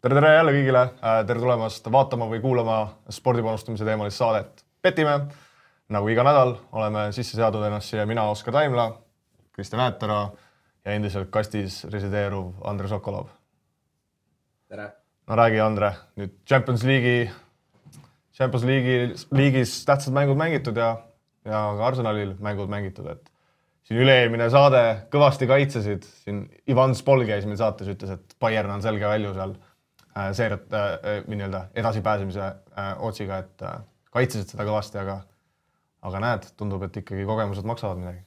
Tere jälle kõigile, tere tulemast vaatama või kuulama spordipanustamise teemalist saadet Petime. Nagu iga nädal oleme sisse seadnud ennast siia mina, Oskar Taimla, Kristjan Äätera ja endiselt kastis resideeruv Andre Sokolov. Tere! No räägi, Andre, nüüd Champions League'is tähtsad mängud mängitud ja ka Arsenalil mängud mängitud, et siin üle-eelmine saade kõvasti kaitsesid. Siin Ivan Spol käis meil saates, ütles, et Bayern on selge välju seal seeriat edasipääsemise otsiga, et kaitsesid seda kõvasti, aga näed, tundub, et ikkagi kogemused maksavad midagi.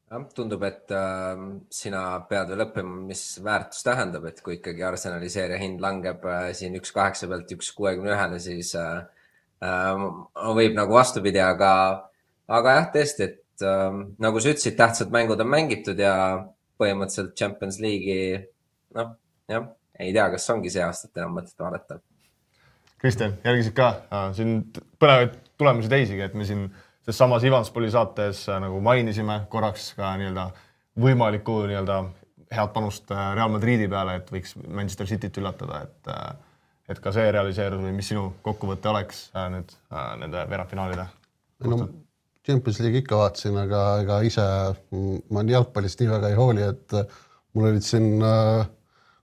Ja, tundub, et sina pead veel õppima, mis väärtus tähendab, et kui ikkagi Arsenali seeria hind langeb siin 1.8 pealt 1.61, siis võib nagu vastupidi, aga jah, tõesti, et nagu sa ütlesid, tähtsad mängud on mängitud ja põhimõtteliselt Champions League'i, ei tea, kas ongi see aastat enam mõtet vaadata. Kristjan, järgisid ka siin põnevaid tulemusi teisigi, et me siin samas Ivan Spoli saates nagu mainisime korraks ka võimalikku head panust Real Madridi peale, et võiks Manchester Cityt üllatada, et ka see realiseerus või mis sinu kokkuvõte oleks nüüd nende veerandfinaalide? Champions League ikka vaatasin, aga ise ma jalgpallist nii väga ei hooli, et mul olid siin,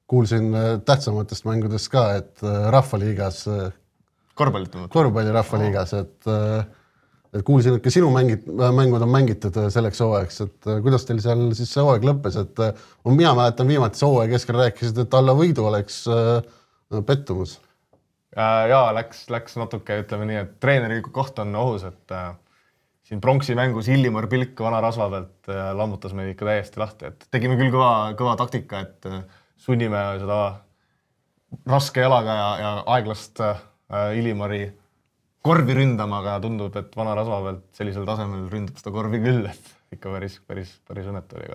kuulsin tähtsamatest mängudest ka, et rahvaliigas, korvpalli rahvaliigas, et kuulsin, et ka sinu mängud on mängitud selleks hooajaks, et kuidas teil seal siis see hooaeg lõppes, et mina mäletan viimati see hooaeg keskel rääkisid, et alla võidu oleks pettumus. Jaa, läks natuke, ütleme nii, et treeneri koht on ohus, et siin pronksi mängus Illimar Pilk vana rasva pealt lammutas meid ikka täiesti lahti, et tegime küll kõva taktika, et sunnime seda raske jalaga ja aeglast Illimari korvi ründama, aga tundub, et vana rasva pealt sellisel tasemel ründab seda korvi küll, et ikka päris õnnetu oli.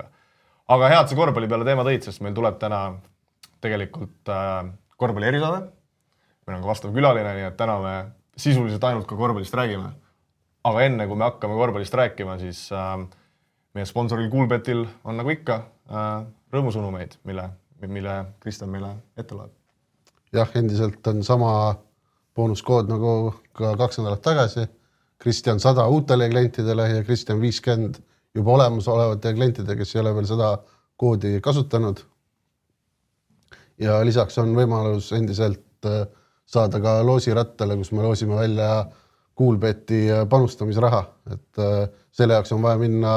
Aga head see korvpalli peale teema tõid, sest meil tuleb täna tegelikult korvpalli erisaade. Meil on ka vastav külaline, nii et täna me sisuliselt ainult ka korvpallist räägime. Aga enne, kui me hakkame korvpallist rääkima, siis meie sponsoril Coolbetil on nagu ikka rõõmusõnumeid, mille Kristjan meile ette loeb. Jah, endiselt on sama boonuskood nagu ka 2 nädalat tagasi. Kristjan 100 uutele klientidele ja Kristjan 50 juba olemasolevate klientidele, kes ei ole veel seda koodi kasutanud. Ja lisaks on võimalus endiselt saada ka loosirattale, kus me loosime välja Coolbeti panustamisraha, et selle jaoks on vaja minna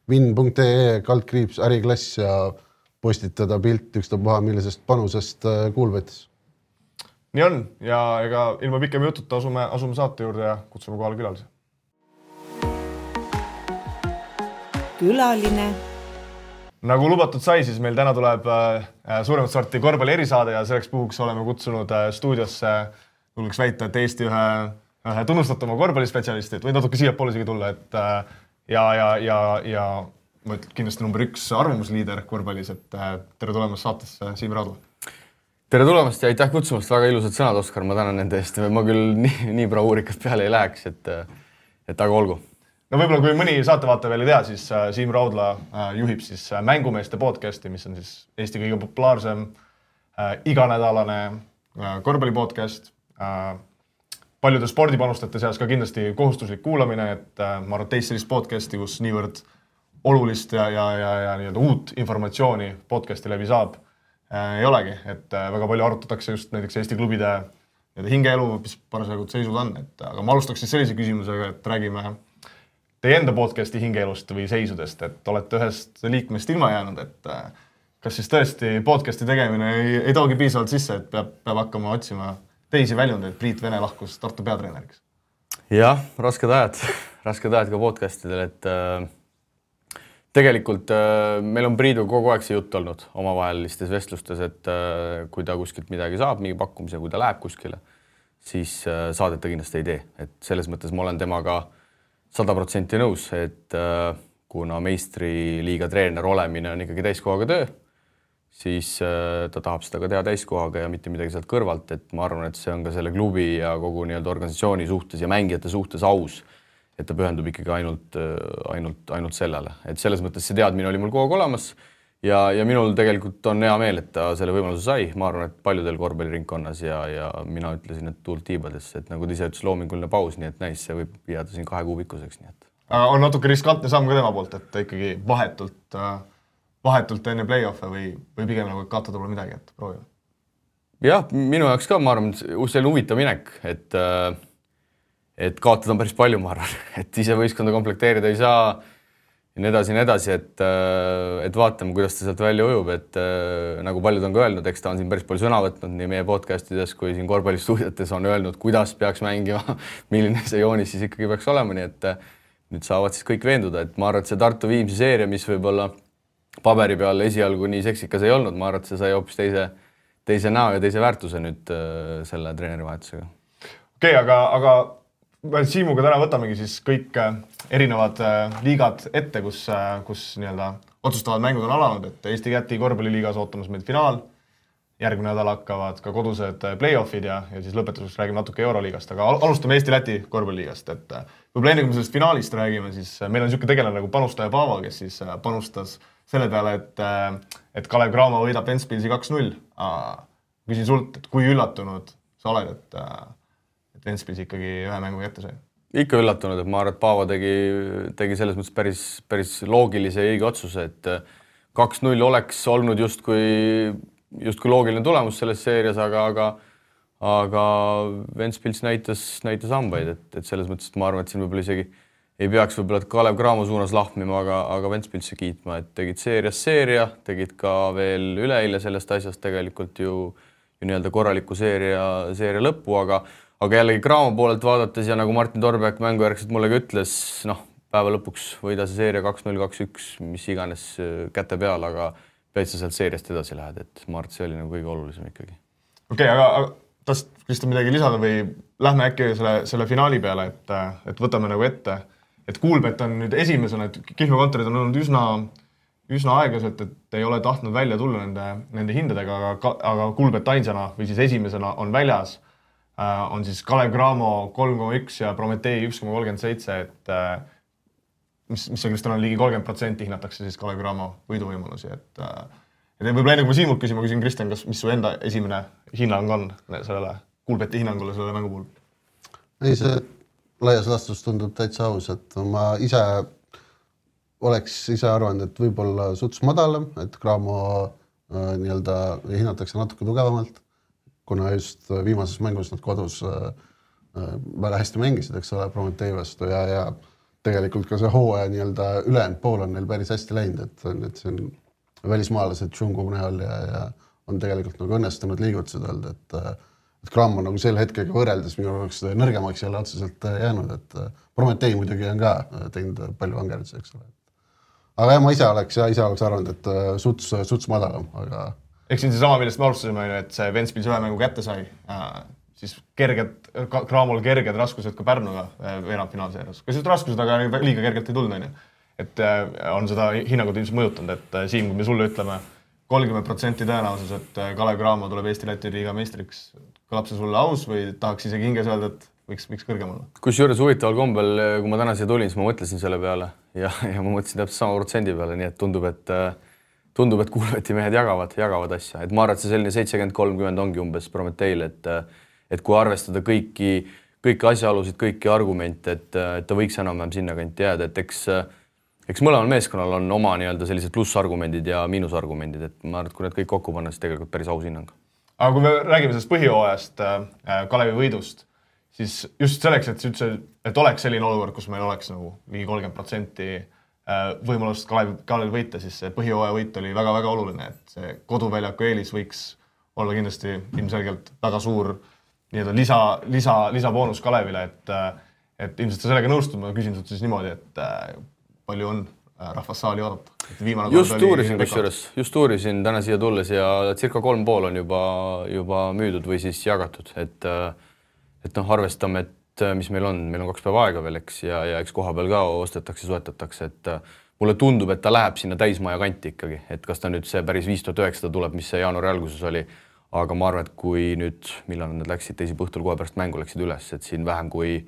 win.ee /äriklass ja postitada pilt ükstapuha millisest panusest Coolbetis. Nii on, ja ega ilma pikem jututa asume saate juurde ja kutsume kohale külalise. Külaline. Nagu lubatud sai, siis meil täna tuleb suuremat sorti korvpalli erisaade ja selleks puhuks oleme kutsunud stuudiosse, julgeks väita, et Eesti ühe tunnustatuma korvpallispetsialisti, et võid natuke siia poole isegi tulla, et ja ma ütlen kindlasti number 1 arvamusliider korvpallis, et tere tulemast saatesse, Siim Raudla. Tere tulemast ja aitäh kutsumast, väga ilusad sõnad, Oskar, ma tänan nende eest. Ma küll nii bravuurikas peale ei läheks, et aga olgu. No võib-olla kui mõni saatevaate veel ei tea, siis Siim Raudla juhib siis Mängumeeste podcasti, mis on siis Eesti kõige populaarsem iganädalane korvpallipodcast. Paljude spordipanustajate seas ka kindlasti kohustuslik kuulamine, et ma arvan, teist sellist podcasti, kus niivõrd olulist ja uut informatsiooni podcasti läbi saab, ei olegi. Et väga palju arutatakse just näiteks Eesti klubide hingeelu, mis parasjagu seisud on. Aga ma alustaks siis sellise küsimusega, et räägime teie enda podcasti hingeelust või seisudest, et olete ühest liikmest ilma jäänud, et kas siis tõesti podcasti tegemine ei toogi piisavalt sisse, et peab hakkama otsima teisi väljundeid, Priit Vene lahkus Tartu peatreeneriks? Jah, rasked ajad ka podcastidel, et tegelikult meil on Priidu kogu aeg see jutt olnud omavahelistes vestlustes, et kui ta kuskilt midagi saab, mingi pakkumise, kui ta läheb kuskile, siis saadet ta kindlasti ei tee. Et selles mõttes ma olen temaga 100% nõus, et kuna meistriliiga treener olemine on ikkagi täiskohaga töö, siis ta tahab seda ka teha täiskohaga ja mitte midagi sealt kõrvalt, et ma arvan, et see on ka selle klubi ja kogu organisatsiooni suhtes ja mängijate suhtes aus, et ta pühendub ikkagi ainult sellele. Et selles mõttes see teadmine oli mul kogu aeg olemas ja minul tegelikult on hea meel, et ta selle võimaluse sai, ma arvan, et paljudel korvpalliringkonnas ja mina ütlesin, et tuult tiibadesse, et nagu ta ise ütles, loominguline paus, nii et näis, see võib jääda siin 2 kuu pikkuseks, nii et. Aga on natuke riskantne samm ka tema poolt, et ta ikkagi vahetult enne play-off'e või pigem nagu kaotada pole midagi, et proovime. Jah, minu jaoks ka, ma arvan, see on huvitav minek, et kaotada on päris palju, ma arvan, et ise võistkonda komplekteerida ei saa ja nii edasi, et vaatame, kuidas ta sealt välja ujub, et nagu paljud on ka öelnud, eks ta on siin päris palju sõna võtnud nii meie podcastides kui siin korvpallistuudiotes on öelnud, kuidas peaks mängima, milline see joonis siis ikkagi peaks olema, nii et nüüd saavad siis kõik veenduda, et ma arvan, et see Tartu Viimsi seeria, mis võib-olla paberi peal esialgu nii seksikas ei olnud, ma arvan, et see sai hoopis teise näo ja teise väärtuse nüüd selle treenerivahetusega. Okei, aga Siimuga täna võtamegi siis kõik erinevad liigad ette, kus nii-öelda otsustavad mängud on alanud, et Eesti-Käti korvpalliliigas ootamas meid finaal, järgmine nädal hakkavad ka kodused play-offid ja siis lõpetuseks räägime natuke Euroliigast, aga alustame Eesti-Läti korvpalliliigast, et võib-olla enne kui me sellest finaalist räägime, siis meil on niisugune tegelane nagu panustaja Paavo, kes siis panustas selle peale, et Kalev Cramo võidab Ventspilsi 2-0. Küsin sult, et kui üllatunud sa oled, et Ventspils ikkagi ühe mängu kätte sai? Ikka üllatunud, et ma arvan, et Paavo tegi selles mõttes päris loogilise ja õige otsuse, et 2-0 oleks olnud justkui loogiline tulemus selles seerias, aga Ventspils näitas hambaid, et selles mõttes, et ma arvan, et siin võib-olla isegi ei peaks võib-olla Kalev Cramo suunas lahmima, aga Ventspilsi kiitma, et tegid seeria, tegid ka veel üleeile sellest asjast tegelikult ju nii-öelda korraliku seeria lõppu, aga jällegi Cramo poolelt vaadates ja nagu Martin Torbeck mängujärgselt mulle ka ütles, päeva lõpuks võida see seeria 2-0, 2-1, mis iganes käte peal, aga pead sa sealt seeriast edasi lähed, et ma arvan, et see oli nagu kõige olulisem ikkagi. Okei, aga tahad Kristjan midagi lisada või lähme äkki selle finaali peale, et võtame nagu ette, et Kuulbet on nüüd esimesena, et Kihnu kontorid on olnud üsna aeglaselt, et ei ole tahtnud välja tulla nende hindadega, aga Kuulbet ainsana või siis esimesena on väljas, on siis Kalev Cramo 3,1 ja Prometee 1,37, et mis on Kristjan on ligi 30% hinnatakse siis Kalev Cramo võiduvõimalusi, et võib-olla enne kui ma Siimult küsin Kristjan, mis su enda esimene hinnang on sellele Kuulbeti hinnangule selle mängu puhul? Ei, see laias laastus tundub täitsa aus, et ma oleks arvanud, et võib-olla suts madalam, et Cramo nii-öelda hinnatakse natuke tugevamalt, kuna just viimases mängus nad kodus väga hästi mängisid, eks ole, Prometee vastu ja tegelikult ka see hooaja nii-öelda ülejäänud pool on neil päris hästi läinud, et see on välismaalased Tšungu näol ja on tegelikult nagu õnnestunud liigutused olnud, et Cramo nagu sel hetkega võrreldes minu oleks nõrgemaks jälle otseselt jäänud, et Prometee muidugi on ka teinud palju vangerdusi, eks ole. Aga jah, ma ise oleks arvanud, et suts madalam, aga... Eks siin see sama, millest me alustasime, et see Ventspils ühe mängu kätte sai, siis Cramol kerged raskused ka Pärnuga veerandfinaalseerias. Kas just raskused, aga liiga kergelt ei tulnud, et on seda hinnangut ilmselt mõjutanud, et Siim, kui me sulle ütleme 30% tõenäosus, et Kalev Cramo tuleb Eesti-Läti liiga meistriks, kõlab see sulle aus või tahaks isegi hinges öelda, et võiks kõrgem olla? Kusjuures huvitaval kombel, kui ma täna siia tulin, siis ma mõtlesin selle peale ja ma mõtlesin täpselt sama protsendi peale, nii et tundub, et Kuulbeti mehed jagavad asja. Et ma arvan, et see selline 70-30 ongi umbes Prometeil, et kui arvestada kõiki asjaolusid, kõiki argumente, et ta võiks enam-vähem sinna kanti jääda, et eks mõlemal meeskonnal on oma nii-öelda sellised plussargumendid ja miinusargumendid, et ma arvan, et kui need kõik kokku panna, siis tegelikult päris aus hinnang. Aga kui me räägime sellest põhihooajast Kalevi võidust, siis just selleks, et oleks selline olukord, kus meil oleks nagu ligi 30% võimalust Kalevi võita, siis see põhihooaja võit oli väga-väga oluline, et see koduväljaku eelis võiks olla kindlasti ilmselgelt väga suur lisaboonus Kalevile, et ilmselt sa sellega nõustud, ma küsin sult siis niimoodi, et palju on rahvas saali oodata? Just uurisin täna siia tulles ja circa 3,5 on juba müüdud või siis jagatud, et arvestame, et mis meil on 2 päeva aega veel, eks, ja eks koha peal ka ostetakse, soetatakse, et mulle tundub, et ta läheb sinna täismaja kanti ikkagi, et kas ta nüüd see päris 5900 tuleb, mis see jaanuari alguses oli, aga ma arvan, et kui nüüd, millal nad läksid teisipäeva õhtul kohe pärast mängu läksid üles, et siin vähem kui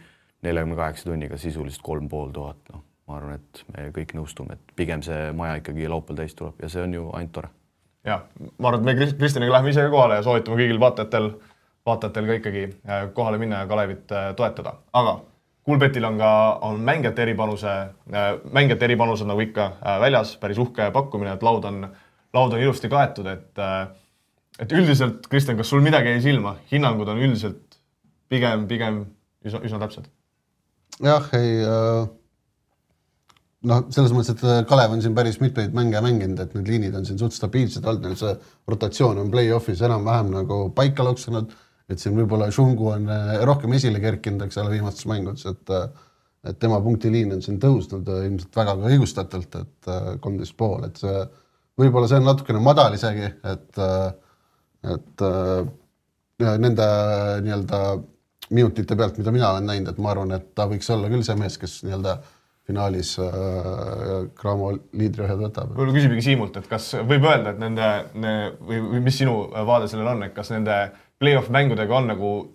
48 tunniga sisuliselt 3500, ma arvan, et me kõik nõustume, et pigem see maja ikkagi laupäeval täis tuleb ja see on ju ainult tore. Ja, ma arvan, et me Kristjaniga läheme ise kohale ja soovitame kõigil vaatajatel ka ikkagi kohale minna ja Kalevit toetada. Aga Kuulbetil on mängijate eripanused nagu ikka väljas, päris uhke pakkumine, et laud on ilusti kaetud, et üldiselt, Kristjan, kas sul midagi jäi silma? Hinnangud on üldiselt pigem üsna täpsed. Jah, selles mõttes, et Kalev on siin päris mitmeid mänge mänginud, et need liinid on siin suht stabiilsed olnud, neil see rotatsioon on play-offis enam-vähem nagu paika loksunud, et siin võib-olla Šungu on rohkem esile kerkinud, eks ole, viimastes mängudes, et tema punktiliin on siin tõusnud ilmselt väga õigustatult, et 13,5, et see võib-olla see on natukene madal isegi, et nende nii-öelda minutite pealt, mida mina olen näinud, et ma arvan, et ta võiks olla küll see mees, kes nii-öelda finaalis Cramo liidriohjad võtab. Võib-olla küsimegi Siimult, et kas võib öelda, et või mis sinu vaade sellel on, et kas nende play-off mängudega on nagu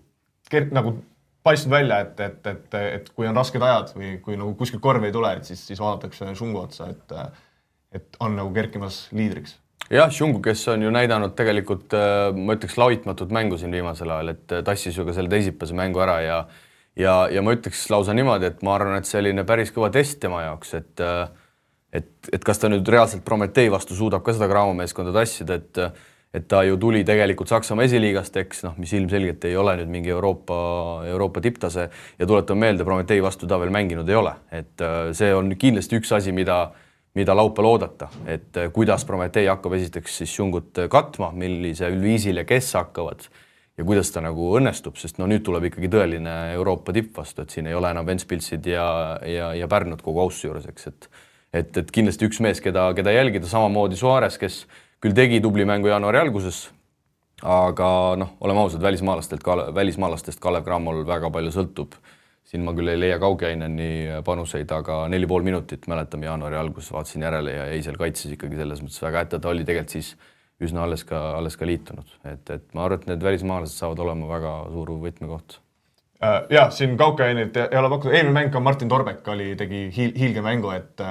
paistnud välja, et kui on rasked ajad või kui nagu kuskil korvi ei tule, et siis vaadatakse Šungu otsa, et on nagu kerkimas liidriks. Jah, Šungu, kes on ju näidanud tegelikult, ma ütleks, laitmatut mängu siin viimasel ajal, et tassis ju ka selle teisipäevase mängu ära ja ma ütleks lausa niimoodi, et ma arvan, et selline päris kõva test tema jaoks, et kas ta nüüd reaalselt Prometee vastu suudab ka seda Cramo meeskonda tassida, et ta ju tuli tegelikult Saksamaa esiliigast, eks, mis ilmselgelt ei ole nüüd mingi Euroopa tipptase ja tuletame meelde, Prometee vastu ta veel mänginud ei ole. Et see on kindlasti üks asi, mida laupäeval oodata, et kuidas Prometee hakkab esiteks siis Šungut katma, millisel viisil ja kes hakkavad ja kuidas ta nagu õnnestub, sest nüüd tuleb ikkagi tõeline Euroopa tipp vastu, et siin ei ole enam Ventspilsid ja Pärnut kogu ausse juures, eks, et kindlasti üks mees, keda jälgida, samamoodi Suarez, kes küll tegi tubli mängu jaanuari alguses, aga oleme ausad, välismaalastest Kalev Cramol väga palju sõltub. Siin ma küll ei leia Kaukeaineni panuseid, aga 4,5 minutit mäletame jaanuari alguses, vaatasin järele ja eisel kaitses ikkagi selles mõttes väga ette, ta oli tegelikult siis üsna alles ka liitunud. Et ma arvan, et need välismaalased saavad olema väga suur võtmekoht. Ja, siin Kaukeainit ei ole pakkunud. Eelmine mäng ka Martin Torbek tegi hiilge mängu, et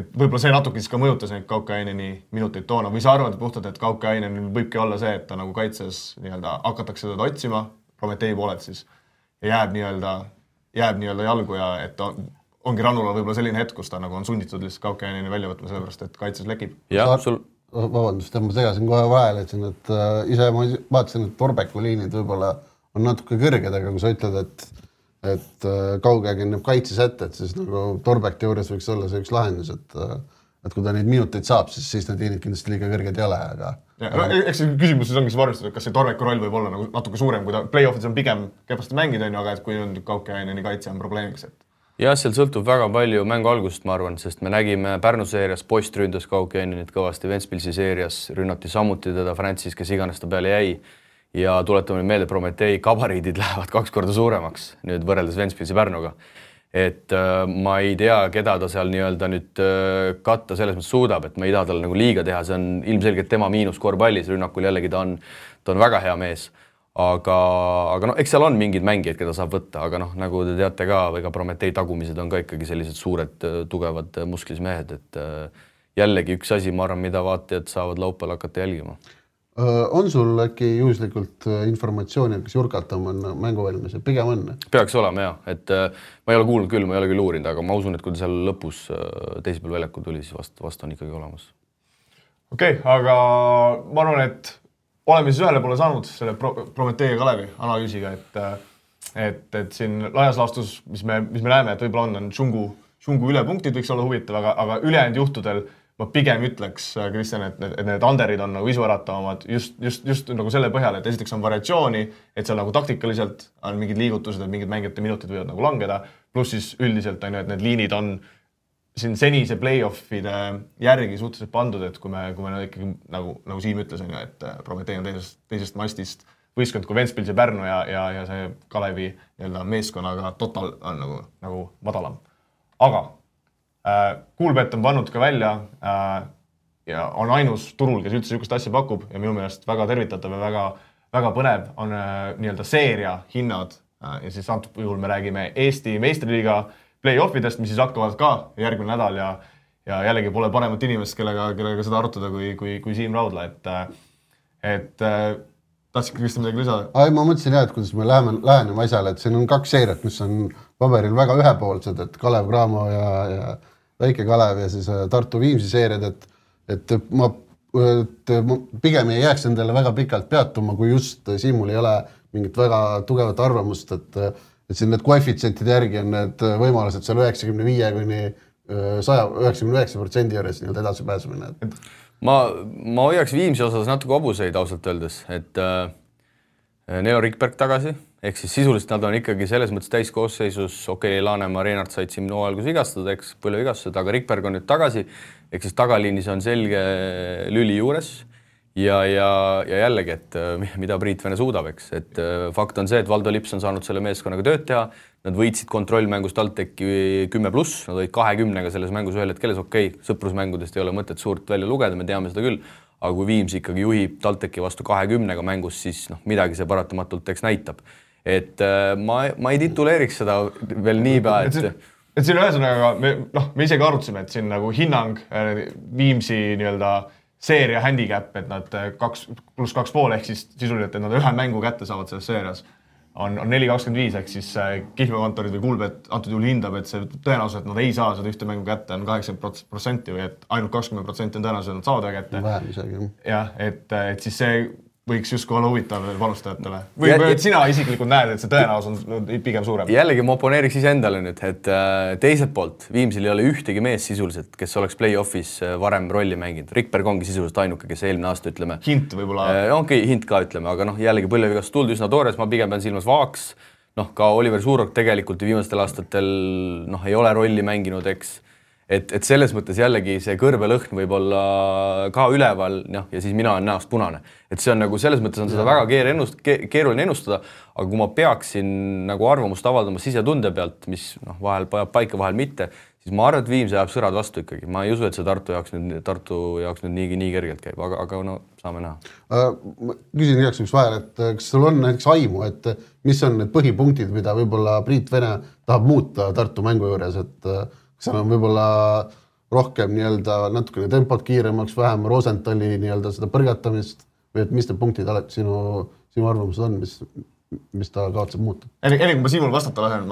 võib-olla see natuke siis ka mõjutas neid Kaukeaineni minuteid toona. Või sa arvad puhtalt, et Kaukeaineni võibki olla see, et ta nagu kaitses hakatakse teda otsima, Prometee poolelt siis, ja jääb jalgu ja et ongi Rannula võib-olla selline hetk, kus ta nagu on sunnitud lihtsalt Kaukeaineni välja võtma, sellepärast et kaitses lekib. Vabandust, ma segasin kohe vahele, et ise ma vaatasin, et Torbeku liinid võib-olla on natuke kõrged, aga kui sa ütled, et Kaukeain näeb kaitses ette, et siis nagu Torbekti juures võiks olla see üks lahendus, et kui ta neid minuteid saab, siis need liinid kindlasti liiga kõrged ei ole, aga... Eks see küsimus siis ongi varmistada, et kas see Torbeku roll võib olla nagu natuke suurem, kui ta play-offis on pigem kepasti mängida, aga et kui on Kaukeaineni kaitse on probleemiks, et... Jah, seal sõltub väga palju mängu algusest, ma arvan, sest me nägime Pärnu seerias, Post ründas Kaukeainenit kõvasti, Ventspilsi seerias rünnati samuti teda Francis, kes iganes ta peale jäi. Ja tuletame meelde, Prometee kabariidid lähevad 2 korda suuremaks nüüd võrreldes Ventspilsi Pärnuga. Et ma ei tea, keda ta seal nii-öelda nüüd katta selles mõttes suudab, et ma ei taha talle nagu liiga teha, see on ilmselgelt tema miinus korvpallis, rünnakul jällegi ta on väga hea mees. Aga eks seal on mingid mängijad, keda saab võtta, aga nagu te teate ka, ega Prometee tagumised on ka ikkagi sellised suured, tugevad musklis mehed, et jällegi üks asi, ma arvan, mida vaatajad saavad laupäeval hakata jälgima. On sul äkki juhuslikult informatsiooni, kas Jurkatam on mänguvalmis? Pigem on? Peaks olema, jah. Et ma ei ole kuulnud küll, ma ei ole küll uurinud, aga ma usun, et kui ta seal lõpus teisipäeval väljaku tuli, siis vast on ikkagi olemas. Okei, aga ma arvan, et oleme siis ühele poole saanud selle Prometee ja Kalevi analüüsiga, et siin laias laastus, mis me näeme, et võib-olla on Šungu ülepunktid võiks olla huvitav, aga ülejäänud juhtudel ma pigem ütleks, Kristjan, et need underid on nagu isuäratavamad just nagu selle põhjal, et esiteks on variatsiooni, et seal nagu taktikaliselt on mingid liigutused, et mingid mängijate minutid võivad nagu langeda, pluss siis üldiselt on ju, et need liinid on siin senise play-offide järgi suhteliselt pandud, et kui me ikkagi nagu Siim ütles, et Prometee on teisest mastist võistkond kui Ventspils ja Pärnu ja see Kalevi meeskonnaga total on nagu madalam. Aga Kuulbet on pannud ka välja ja on ainus turul, kes üldse niisugust asja pakub ja minu meelest väga tervitatav ja väga põnev on nii-öelda seeria hinnad ja siis antud juhul me räägime Eesti meistriliiga play-offidest, mis siis hakkavad ka järgmine nädal ja jällegi pole paremat inimest, kellega seda arutada kui Siim Raudla, et tahtsid Kristjan midagi lisada? Ma mõtlesin jah, et kuidas me läheneme asjale, et siin on 2 seeriat, mis on paberil väga ühepoolsed, et Kalev Cramo ja Väike Kalev ja siis Tartu Viimsi seeriad, et ma pigem ei jääks endale väga pikalt peatuma, kui just Siimul ei ole mingit väga tugevat arvamust, et siin need koefitsientide järgi on need võimalused seal 95 kuni 99% juures nii-öelda edasi pääsemine. Ma hoiaks Viimsi osas natuke hobuseid ausalt öeldes, et Neo Rikberg tagasi, ehk siis sisuliselt nad on ikkagi selles mõttes täiskoosseisus, Laanemaa, Reinart said siin hooajalgus vigastada, eks põlvevigastused, aga Rikberg on nüüd tagasi, ehk siis tagaliinis on selge lüli juures ja jällegi, et mida Priit Vene suudab, eks, et fakt on see, et Valdo Lips on saanud selle meeskonnaga tööd teha, nad võitsid kontrollmängust TalTechi 10+, nad olid 20-ga selles mängus ühel hetkeles, sõprusmängudest ei ole mõtet suurt välja lugeda, me teame seda küll, aga kui Viimsi ikkagi juhib TalTechi vastu 20-ga mängus, siis midagi see paratamatult eks näitab. Et ma ei tituleeriks seda veel niipea, et siin ühesõnaga, me isegi arutasime, et siin nagu hinnang Viimsi nii-öelda seeria handicap, et nad 2+2,5 ehk siis sisuliselt, et nad ühe mängu kätte saavad selles seerias, on 4,25 ehk siis Kihlvekontorid või Kuulbet antud juhul hindab, et see tõenäoliselt nad ei saa seda ühte mängu kätte, on 80% või et ainult 20% on tõenäoliselt nad saavad ühe kätte. Vähem isegi. Jah, et siis see võiks justkui olla huvitav panustajatele. Või sina isiklikult näed, et see tõenäosus on pigem suurem? Jällegi ma oponeeriks iseendale nüüd, et teiselt poolt Viimsil ei ole ühtegi mees sisuliselt, kes oleks play-offis varem rolli mänginud. Rikberg ongi sisuliselt ainuke, kes eelmine aasta ütleme. Hint võib-olla. Hint ka ütleme, aga jällegi põlvevigastus tuldi üsna toores, ma pigem pean silmas Vaaks. Ka Oliver Suurok tegelikult viimastel aastatel ei ole rolli mänginud, eks. Et selles mõttes jällegi see kõrbelõhn võib olla ka üleval ja siis mina olen näost punane. Et see on nagu selles mõttes on seda väga keeruline ennustada, aga kui ma peaksin nagu arvamust avaldama sisetunde pealt, mis vahel pajab paika, vahel mitte, siis ma arvan, et Viimse jääb sõrad vastu ikkagi. Ma ei usu, et see Tartu jaoks nüüd nii kergelt käib, aga saame näha. Küsin igaks üks vahel, et kas sul on näiteks aimu, et mis on need põhipunktid, mida võib-olla Priit Vene tahab muuta Tartu mängu juures, et seal on võib-olla rohkem natukene tempot kiiremaks, vähem Rosenthali seda põrgatamist või et mis need punktid sinu arvamused on, mis ta kavatseb muuta? Enne kui ma Siimul vastata lasen,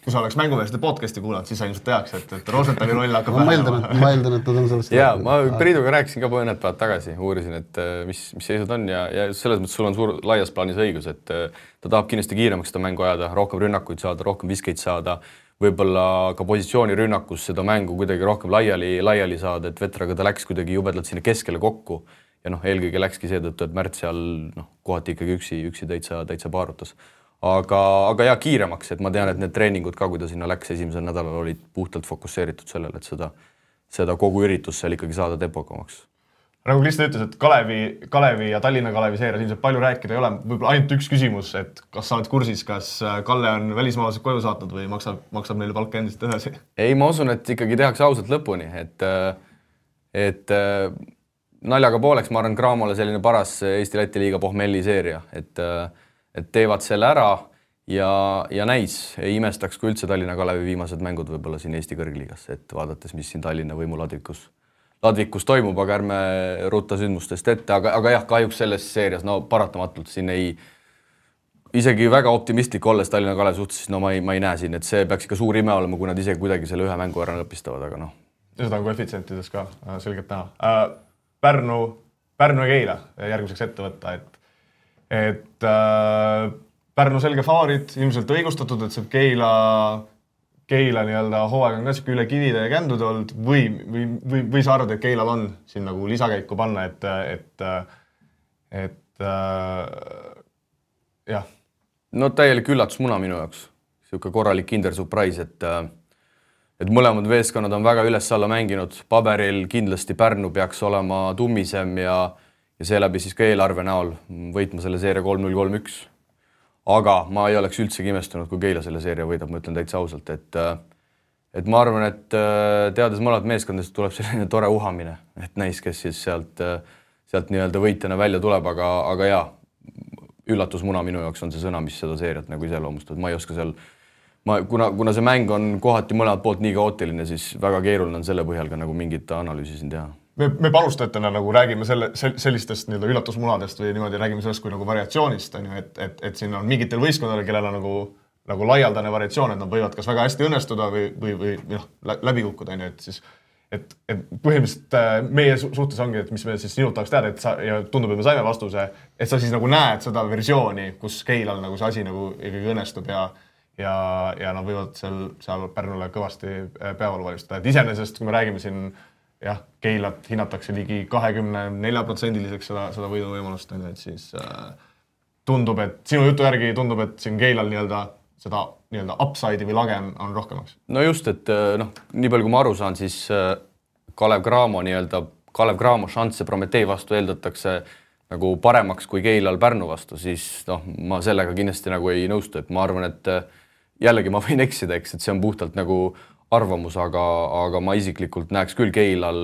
kui sa oleks mängumeeste podcasti kuulanud, siis sa ilmselt teaks, et Rosenthali roll hakkab ma eeldan, et ta on sellest... Jaa, ma Priiduga rääkisin ka mõned päevad tagasi, uurisin, et mis seisud on ja selles mõttes sul on laias plaanis õigus, et ta tahab kindlasti kiiremaks seda mängu ajada, rohkem rünnakuid saada, rohkem viskeid saada, võib-olla ka positsiooni rünnakus seda mängu kuidagi rohkem laiali saada, et Vetraga ta läks kuidagi jubedalt sinna keskele kokku ja eelkõige läkski seetõttu, et Märt seal kohati ikkagi üksi täitsa paarutas. Aga jah, kiiremaks, et ma tean, et need treeningud ka, kui ta sinna läks esimesel nädalal, olid puhtalt fokusseeritud sellele, et seda kogu üritus seal ikkagi saada tempokamaks. Nagu Kristjan ütles, et Kalevi ja Tallinna Kalevi seerias ilmselt palju rääkida ei ole, võib-olla ainult üks küsimus, et kas sa oled kursis, kas Kalle on välismaalased koju saatnud või maksab neile palka endist edasi? Ei, ma usun, et ikkagi tehakse ausalt lõpuni, et naljaga pooleks, ma arvan, Cramole selline paras Eesti-Läti liiga pohmelli seeria, et teevad selle ära ja näis, ei imestaks, kui üldse Tallinna Kalevi viimased mängud võib-olla siin Eesti kõrgliigas, et vaadates, mis siin Tallinna võimuladvikus toimub, aga ärme rutta sündmustest ette, aga jah, kahjuks selles seerias, paratamatult siin isegi väga optimistlik olles Tallinna Kalevi suhtes, siis ma ei näe siin, et see peaks ikka suur ime olema, kui nad isegi kuidagi selle ühe mängu ära lõpistavad, aga Seda on koefitsientides ka selgelt näha. Pärnu ja Keila järgmiseks ette võtta, et Pärnu selge faarid, ilmselt õigustatud, et see Keila hooaeg on ka siuke üle kivide ja kändude olnud või sa arvad, et Keilal on siin nagu lisakäiku panna, et jah. No täielik üllatusmuna minu jaoks. Siuke korralik kinder surprise, et mõlemad veeskonnad on väga üles-alla mänginud. Paberil kindlasti Pärnu peaks olema tummisem ja seeläbi siis ka eelarve näol võitma selle seeria 3-0, 3-1. Aga ma ei oleks üldsegi imestunud, kui Keila selle seeria võidab, ma ütlen täitsa ausalt, et ma arvan, et teades mõlemad meeskondadest tuleb selline tore uhamine, et näis, kes siis sealt nii-öelda võitjana välja tuleb, aga jaa, üllatusmuna minu jaoks on see sõna, mis seda seeriat nagu iseloomustab, ma ei oska seal kuna see mäng on kohati mõlemalt poolt nii kaootiline, siis väga keeruline on selle põhjal ka nagu mingit analüüsi siin teha. Me palustajatena nagu räägime sellistest nii-öelda üllatusmunadest või niimoodi räägime sellest kui nagu variatsioonist, on ju, et siin on mingitel võistkondadel, kellel on nagu laialdane variatsioon, et nad võivad kas väga hästi õnnestuda või läbi kukkuda, on ju, et siis et põhimõtteliselt meie suhtes ongi, et mis me siis sinult tahaks teada, ja tundub, et me saime vastuse, et sa siis nagu näed seda versiooni, kus Keilal nagu see asi nagu ikkagi õnnestub ja nad võivad seal Pärnule kõvasti peavalu valmistada. Et iseenesest, kui me räägime siin Keilat hinnatakse ligi 24%-liseks seda võiduvõimalust, et siis tundub, et sinu jutu järgi tundub, et siin Keilal seda upside'i või lage on rohkemaks. No just, et nii palju kui ma aru saan, siis Kalev Cramo šansse Prometee vastu eeldatakse nagu paremaks kui Keilal Pärnu vastu, siis ma sellega kindlasti nagu ei nõustu, et ma arvan, et jällegi ma võin eksida, eks, et see on puhtalt nagu arvamus, aga ma isiklikult näeks küll Keilal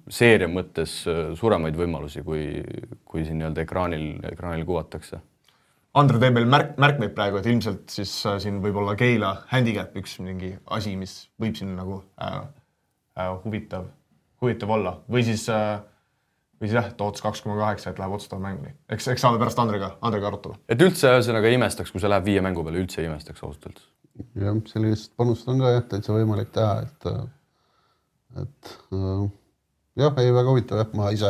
seeria mõttes suuremaid võimalusi, kui siin ekraanil kuvatakse. Andre teeb meil märkmeid praegu, et ilmselt siis siin võib olla Keila handicap üks mingi asi, mis võib siin nagu huvitav olla. Või siis Toots 2,8, et läheb otsustava mänguni. Eks saame pärast Andrega arutada. Et üldse ühesõnaga imestaks, kui see läheb 5 mängu peale, üldse imestaks ausalt. Jah, sellist panust on ka täitsa võimalik teha, et ei väga huvitav, ma ise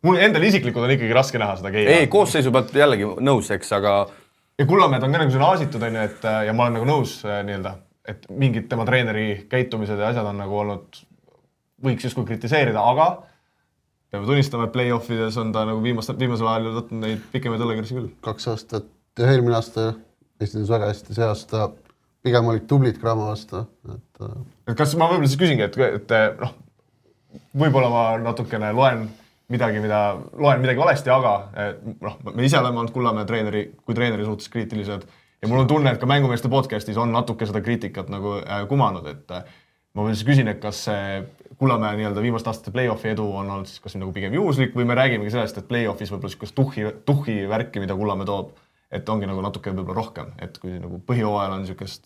mul endal isiklikult on ikkagi raske näha seda Keila. Ei, koosseisu pealt jällegi nõus, eks, aga ja Kullamäed on ka nagu aasitud, ja ma olen nagu nõus et mingid tema treeneri käitumised ja asjad on nagu olnud, võiks justkui kritiseerida, aga peame tunnistama, et play-offides on ta nagu viimasel ajal võtnud neid pikemaid õllekirsi küll. 2 aastat ja eelmine aasta esines väga hästi, see aasta pigem olid tublid Cramo vastu. Et kas ma võib-olla siis küsingi, et võib-olla ma natukene loen midagi valesti, aga me ise oleme olnud Kullamäe treeneri suhtes kriitilised ja mul on tunne, et ka mängumeeste podcastis on natuke seda kriitikat nagu kumanud, et ma veel siis küsin, et kas see Kullamäe viimaste aastate play-offi edu on olnud siis kas nagu pigem juhuslik või me räägimegi sellest, et play-offis võib-olla siukest tuhhi värki, mida Kullamäe toob, et ongi nagu natuke võib-olla rohkem, et kui nagu põhjooajal on siukest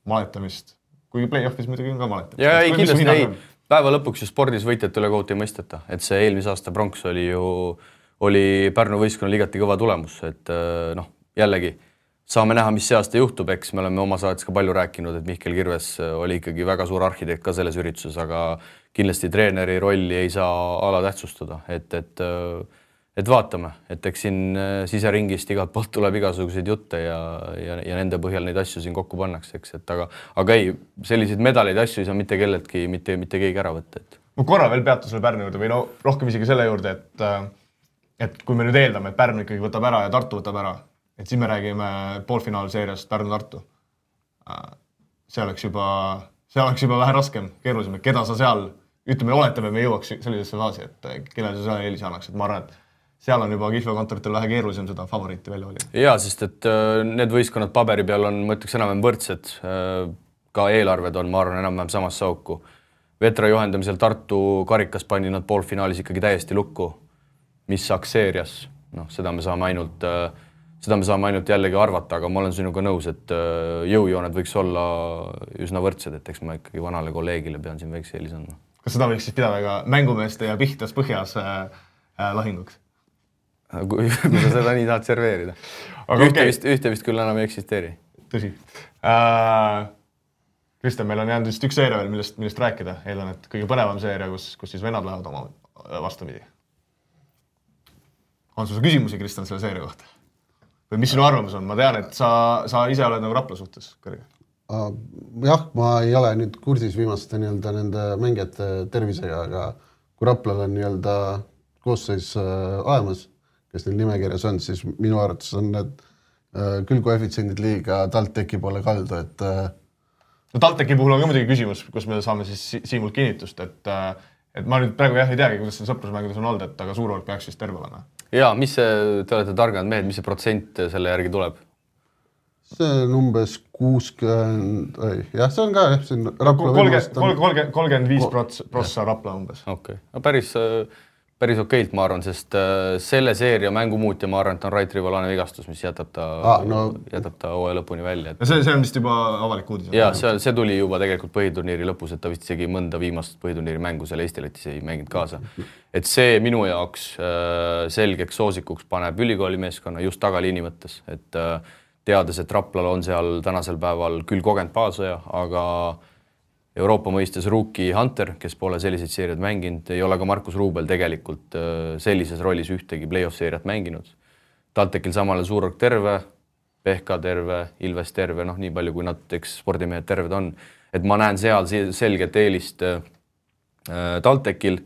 maletamist, kuigi play-offis muidugi on ka maletamist. Ja ei, kindlasti ei. Päeva lõpuks ju spordis võitjate üle kohut ei mõisteta, et see eelmise aasta pronks oli Pärnu võistkonnal igati kõva tulemus, et jällegi saame näha, mis see aasta juhtub, eks me oleme oma saates ka palju rääkinud, et Mihkel Kirves oli ikkagi väga suur arhitekt ka selles ürituses, aga kindlasti treeneri rolli ei saa alatähtsustada, et vaatame, et eks siin siseringist igalt poolt tuleb igasuguseid jutte ja nende põhjal neid asju siin kokku pannakse, eks, et aga ei, selliseid medaleid asju ei saa mitte kelletki, mitte keegi ära võtta. Ma korra veel peatu selle Pärnu juurde või rohkem isegi selle juurde, et kui me nüüd eeldame, et Pärnu ikkagi võtab ära ja Tartu võtab ära, et siis me räägime poolfinaalseeriast Pärnu-Tartu. See oleks juba vähe raskem, keerulisem, et keda sa seal, oletame, me jõuaks sellisesse faasi, et kellele sa seal eelise annaks, et ma arvan, et seal on juba kihlveokontoritel vähe keerulisem seda favoriiti välja valida. Jaa, sest et need võistkonnad paberi peal on, ma ütleks enam võrdsed, ka eelarved on, ma arvan, enam samas sauku. Vetra juhendamisel Tartu karikas pani nad poolfinaalis ikkagi täiesti lukku, mis saaks seerias, seda me saame ainult jällegi arvata, aga ma olen sinuga nõus, et jõujooned võiks olla üsna võrdsed, et eks ma ikkagi vanale kolleegile pean siin väikse eelis andma. Kas seda võiks siis pidada ka mängumeeste ja Pihtas põhjas lahinguks? Kui sa seda nii tahad serveerida. Ühte vist küll enam ei eksisteeri. Tõsi. Kristjan, meil on jäänud vist üks seeria veel, millest rääkida. Eeldan, et kõige põnevam seeria, kus siis vennad lähevad oma vastupidi. On sul küsimusi, Kristjan, selle seeria kohta? Või mis sinu arvamus on? Ma tean, et sa ise oled nagu Rapla suhtes kõrge. Jah, ma ei ole nüüd kursis viimaste nende mängijate tervisega, aga kui Raplal on koosseis olemas, kes neil nimekirjas on, siis minu arvates on need küll koefitsiendid liiga TalTechi poole kaldu, et TalTechi puhul on ka muidugi küsimus, kus me saame siis Siimult kinnitust, et ma nüüd praegu ei teagi, kuidas see sõprusmängudes on olnud, et aga suurvõrk peaks siis terve olema. Jaa, te olete targad mehed, mis see protsent selle järgi tuleb? See on umbes 60, jah, see on ka Rapla 35% Rapla umbes. Okei, päris päris okeilt, ma arvan, sest selle seeria mängumuutja, ma arvan, et on Rait Rivolane vigastus, mis jätab ta hooaja lõpuni välja. See on vist juba avalik uudis. Jaa, see tuli juba tegelikult põhiturniiri lõpus, et ta vist isegi mõnda viimast põhiturniiri mängu seal Eesti-Lätis ei mänginud kaasa. Et see minu jaoks selgeks soosikuks paneb ülikooli meeskonna just tagaliini mõttes, et teades, et Raplal on seal tänasel päeval küll kogenud baasoja, aga Euroopa mõistes rookie Hunter, kes pole selliseid seeriad mänginud, ei ole ka Markus Ruubel tegelikult sellises rollis ühtegi play-off seeriat mänginud. TalTechil samale Suurorg terve, Pehka terve, Ilves terve, nii palju kui nad spordimehed terved on. Et ma näen seal selget eelist TalTechil.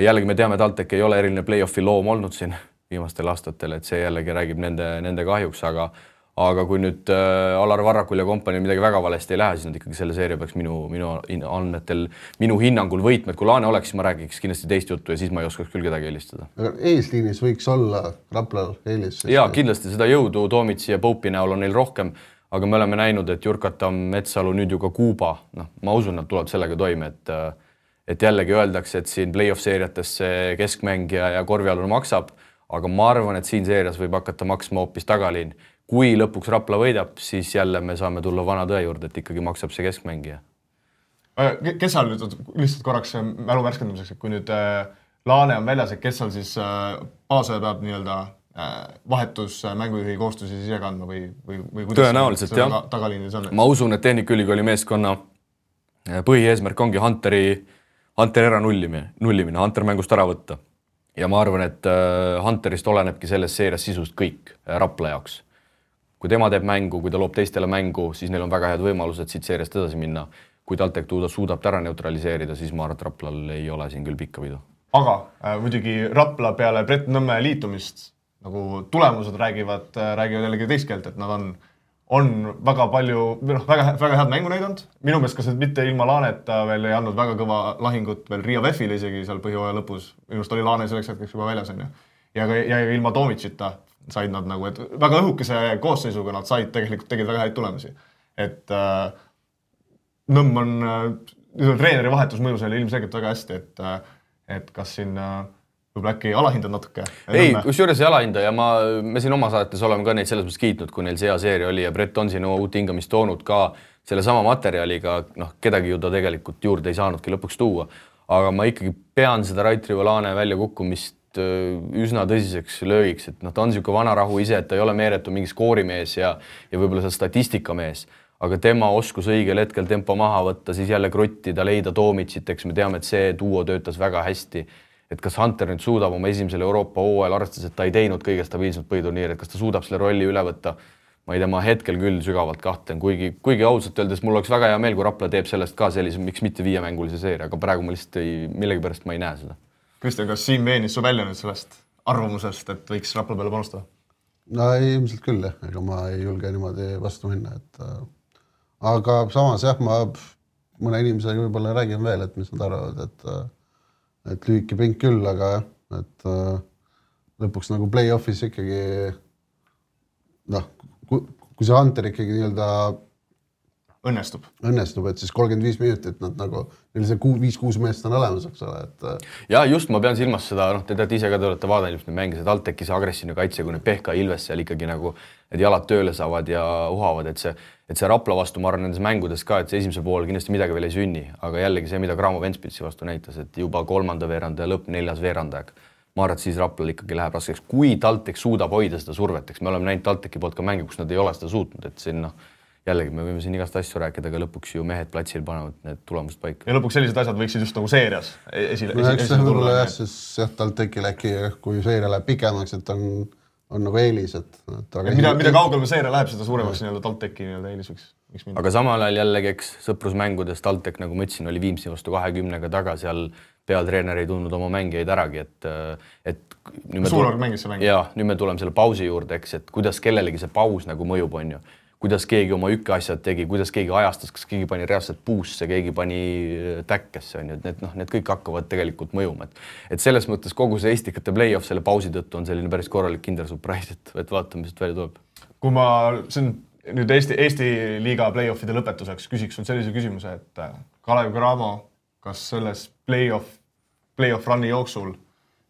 Jällegi me teame, TalTech ei ole eriline play-offi loom olnud siin viimastel aastatel, et see jällegi räägib nende kahjuks, aga kui nüüd Alar Varrakul ja kompanii midagi väga valesti ei lähe, siis nad ikkagi selle seeria peaks minu andmetel, minu hinnangul võitmed. Kui Laane oleks, siis ma räägiks kindlasti teist juttu ja siis ma ei oskaks küll kedagi eelistada. Aga eesliinis võiks olla Raplal eelis? Jaa, kindlasti seda jõudu Toomitsi ja Poupi näol on neil rohkem, aga me oleme näinud, et Jurkatam, Metsalu, nüüd ju ka Kuuba, ma usun, nad tuleb sellega toime, et jällegi öeldakse, et siin play-off seeriates see keskmängija ja korvialune maksab, aga ma arvan, et siin seerias võib hakata maksma hoopis tagaliin. Kui lõpuks Rapla võidab, siis jälle me saame tulla vana tõe juurde, et ikkagi maksab see keskmängija. Kes seal nüüd lihtsalt korraks mälu värskendamiseks, et kui nüüd Laane on väljas, et kes seal siis baasoja peab nii-öelda vahetus mängujuhi kohustusi ise kandma või kuidas tõenäoliselt, jah. Tagaliinis on? Ma usun, et Tehnikaülikooli meeskonna põhieesmärk ongi Hunter ära nullimine, Hunter mängust ära võtta. Ja ma arvan, et Hunterist olenebki selles seerias sisust kõik Rapla jaoks. Kui tema teeb mängu, kui ta loob teistele mängu, siis neil on väga head võimalused siit seeriast edasi minna. Kui TalTech suudab ta ära neutraliseerida, siis ma arvan, et Raplal ei ole siin küll pikka pidu. Aga muidugi Rapla peale Brett Nõmme liitumist, nagu tulemused räägivad jällegi teist keelt, et nad on väga palju, väga head mängu näidanud. Minu meelest kas mitte ilma Laaneta veel ei andnud väga kõva lahingut veel Riia Vefile isegi seal põhjooaja lõpus. Minust oli Laane selleks hetkeks juba väljas. Ja ilma Toomitsita said nad nagu, et väga õhukese koosseisuga nad tegid väga häid tulemusi. Et Nõmm on treeneri vahetus mõju selle ilmselgelt väga hästi, et kas siin võib äkki alahindad natuke? Ei, kusjuures ei alahinda ja me siin oma saates oleme ka neid selles mõttes kiitnud, kui neil see hea seeria oli ja Brett on siin uut hingamist toonud ka selle sama materjaliga, kedagi ju ta tegelikult juurde ei saanudki lõpuks tuua. Aga ma ikkagi pean seda Rait Rivolane välja kukkumist üsna tõsiseks löögiks, et ta on siuke vanarahu ise, et ta ei ole meeretu mingi skoorimees ja võib-olla see statistikamees, aga tema oskus õigel hetkel tempo maha võtta, siis jälle krottida, leida Toomitsit, eks me teame, et see duo töötas väga hästi. Et kas Hunter nüüd suudab oma esimesel Euroopa hooajal arvestades, et ta ei teinud kõige stabiilselt põhiturniiri, et kas ta suudab selle rolli üle võtta? Ma ei tea, ma hetkel küll sügavalt kahtlen, kuigi ausalt öeldes mul oleks väga hea meel, kui Rapla teeb sellest ka sellise, miks mitte 5-mängulise seeria, aga praegu ma lihtsalt millegipärast ma ei näe seda. Kristjan, kas Siim veenis su välja nüüd sellest arvamusest, et võiks Rapla peale panustada? No ilmselt küll, ega ma ei julge niimoodi vastu minna. Aga samas jah, ma mõne inimesega võib-olla räägin veel, et mis nad arvavad, et lühike pink küll, aga et lõpuks nagu play-offis ikkagi kui see Hunter ikkagi nii-öelda õnnestub, et siis 35 minutit nad nagu, neil see 5-6 meest on olemas, eks ole. Ja just ma pean silmas seda, te teate ise ka, te olete vaadanud just neid mänge, see TalTechi see agressiivne kaitse, kui need Pehka Ilves seal ikkagi nagu need jalad tööle saavad ja uhavad, et see Rapla vastu, ma arvan nendes mängudes ka, et see esimesel pool kindlasti midagi veel ei sünni, aga jällegi see, mida Graamo Ventspilsi vastu näitas, et juba 3. veeranda ja lõpp 4. veerandaeg. Ma arvan, et siis Raplal ikkagi läheb raskeks, kui TalTech suudab hoida seda survet, eks me oleme näinud TalTechi poolt ka mänge, kus nad ei ole seda suutnud, et siin jällegi me võime siin igast asju rääkida, aga lõpuks ju mehed platsil panevad need tulemused paika. Ja lõpuks sellised asjad võiksid just nagu seerias esile tulla. Jah, TalTechil äkki, kui seeria läheb pikemaks, et on nagu eelis. Mida kaugel me seeria läheb, seda suuremaks TalTechi eelis võiks minna. Aga samal ajal jällegi, eks sõprusmängudes TalTech, nagu ma ütlesin, oli Viimsi vastu 20-ga taga, seal peatreener ei tundnud oma mängijaid äragi, et Suurorg mängis see mäng. Jaa, nüüd me tuleme selle pausi juurde, eks, et kuidas kellelegi see paus nagu mõjub on ju. Kuidas keegi oma asjad tegi, kuidas keegi ajastas, kas keegi pani reaalselt puusse, keegi pani täkkesse, on ju, need kõik hakkavad tegelikult mõjuma. Et selles mõttes kogu see Eestikate play-off selle pausi tõttu on selline päris korralik kinder surprise, et vaatame, mis välja tuleb. Kui ma nüüd Eesti liiga play-offide lõpetuseks küsiks sellise küsimuse, et Kalev Cramo, kas selles play-off run'i jooksul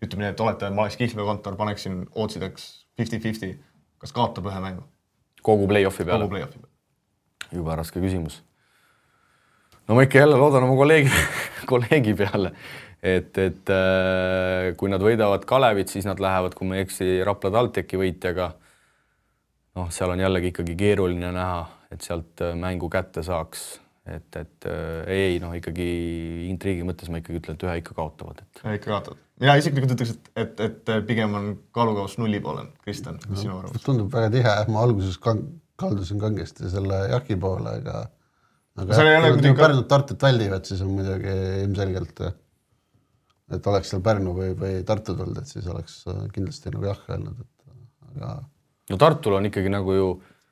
ütleme nii, et olete, ma oleks Kihlvee kontor, paneksin ootsideks 50-50, kas kaotab ühe mängu? Kogu play-offi peale? Kogu play-offi peale. Juba raske küsimus. No ma ikka jälle loodan oma kolleegi peale, et kui nad võidavad Kalevit, siis nad lähevad, kui ma ei eksi, Rapla TalTechi võitjaga. Noh, seal on jällegi ikkagi keeruline näha, et sealt mängu kätte saaks. Et ei, noh, ikkagi intriigi mõttes ma ikkagi ütlen, et ühe ikka kaotavad. Ikka kaotavad. Mina isiklikult ütleks, et pigem on kaalukaus 0 poole. Kristjan, mis sinu arvamus? Tundub väga tihe. Ma alguses kaldusin kangesti selle Jaki poole, aga Pärnut Tartut väldivad, siis on muidugi ilmselgelt, et oleks seal Pärnu või Tartu tulnud, et siis oleks kindlasti nagu jah öelnud. Aga... No Tartul on ikkagi nagu ju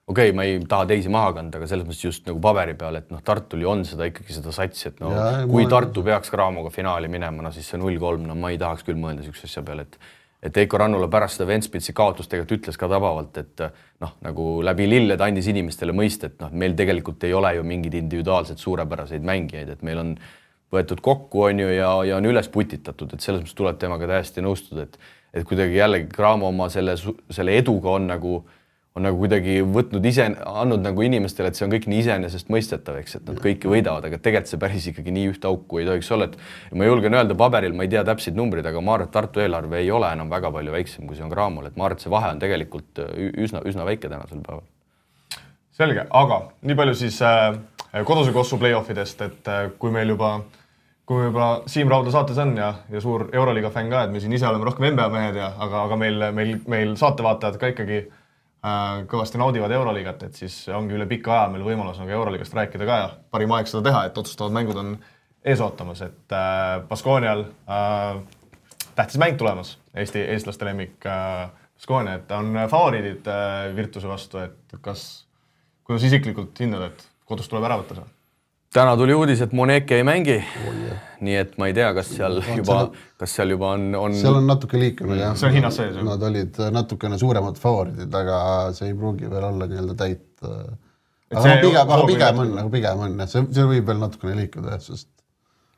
okei, ma ei taha teisi maha kanda, aga selles mõttes just nagu paberi peal, et noh, Tartul ju on seda ikkagi seda satsi, et no, kui Tartu peaks Craamoga finaali minema, no siis see 0-3, no ma ei tahaks küll mõelda üks asja peale, et Eiko Rannula pärast seda Ventspilsi kaotust tegelikult ütles ka tabavalt, et noh, nagu läbi lilled andis inimestele mõista, et noh, meil tegelikult ei ole ju mingid individuaalselt suurepäraseid mängijaid, et meil on võetud kokku on ju ja on üles putitatud, et selles mõttes tuleb temaga täiesti nõustuda, et kuidagi jällegi Craamo oma selle eduga on nagu kuidagi võtnud andnud nagu inimestele, et see on kõik nii iseenesest mõistetav, eks, et nad kõiki võidavad, aga tegelikult see päris ikkagi nii ühte auku ei tohiks olla, et ma julgen öelda paberil, ma ei tea täpseid numbrid, aga ma arvan, et Tartu eelarve ei ole enam väga palju väiksem, kui see on Craamol, et ma arvan, et see vahe on tegelikult üsna väike tänasel päeval. Selge, aga nii palju siis koduse kossu play-offidest, et kui meil juba Siim Raudla saates on ja suur Euroliiga fänn ka, et me siin ise oleme rohkem NBA mehed, aga meil saatevaatajad ka ikkagi kõvasti naudivad Euroliigat, et siis ongi üle pika aja meil võimalus nagu Euroliigast rääkida ka ja parim aeg seda teha, et otsustavad mängud on ees ootamas, et Baskonial tähtis mäng tulemas, eestlaste lemmik Baskonia, et on favoriidid Virtuse vastu, et kuidas isiklikult hindad, et kodus tuleb ära võtta see? Täna tuli uudis, et Moneke ei mängi, nii et ma ei tea, kas seal juba on... Seal on natuke liikunud, jah. See on hinnas sees. Nad olid natukene suuremad favoriidid, aga see ei pruugi veel olla nii-öelda täit. Aga pigem on, see võib veel natukene liikuda, sest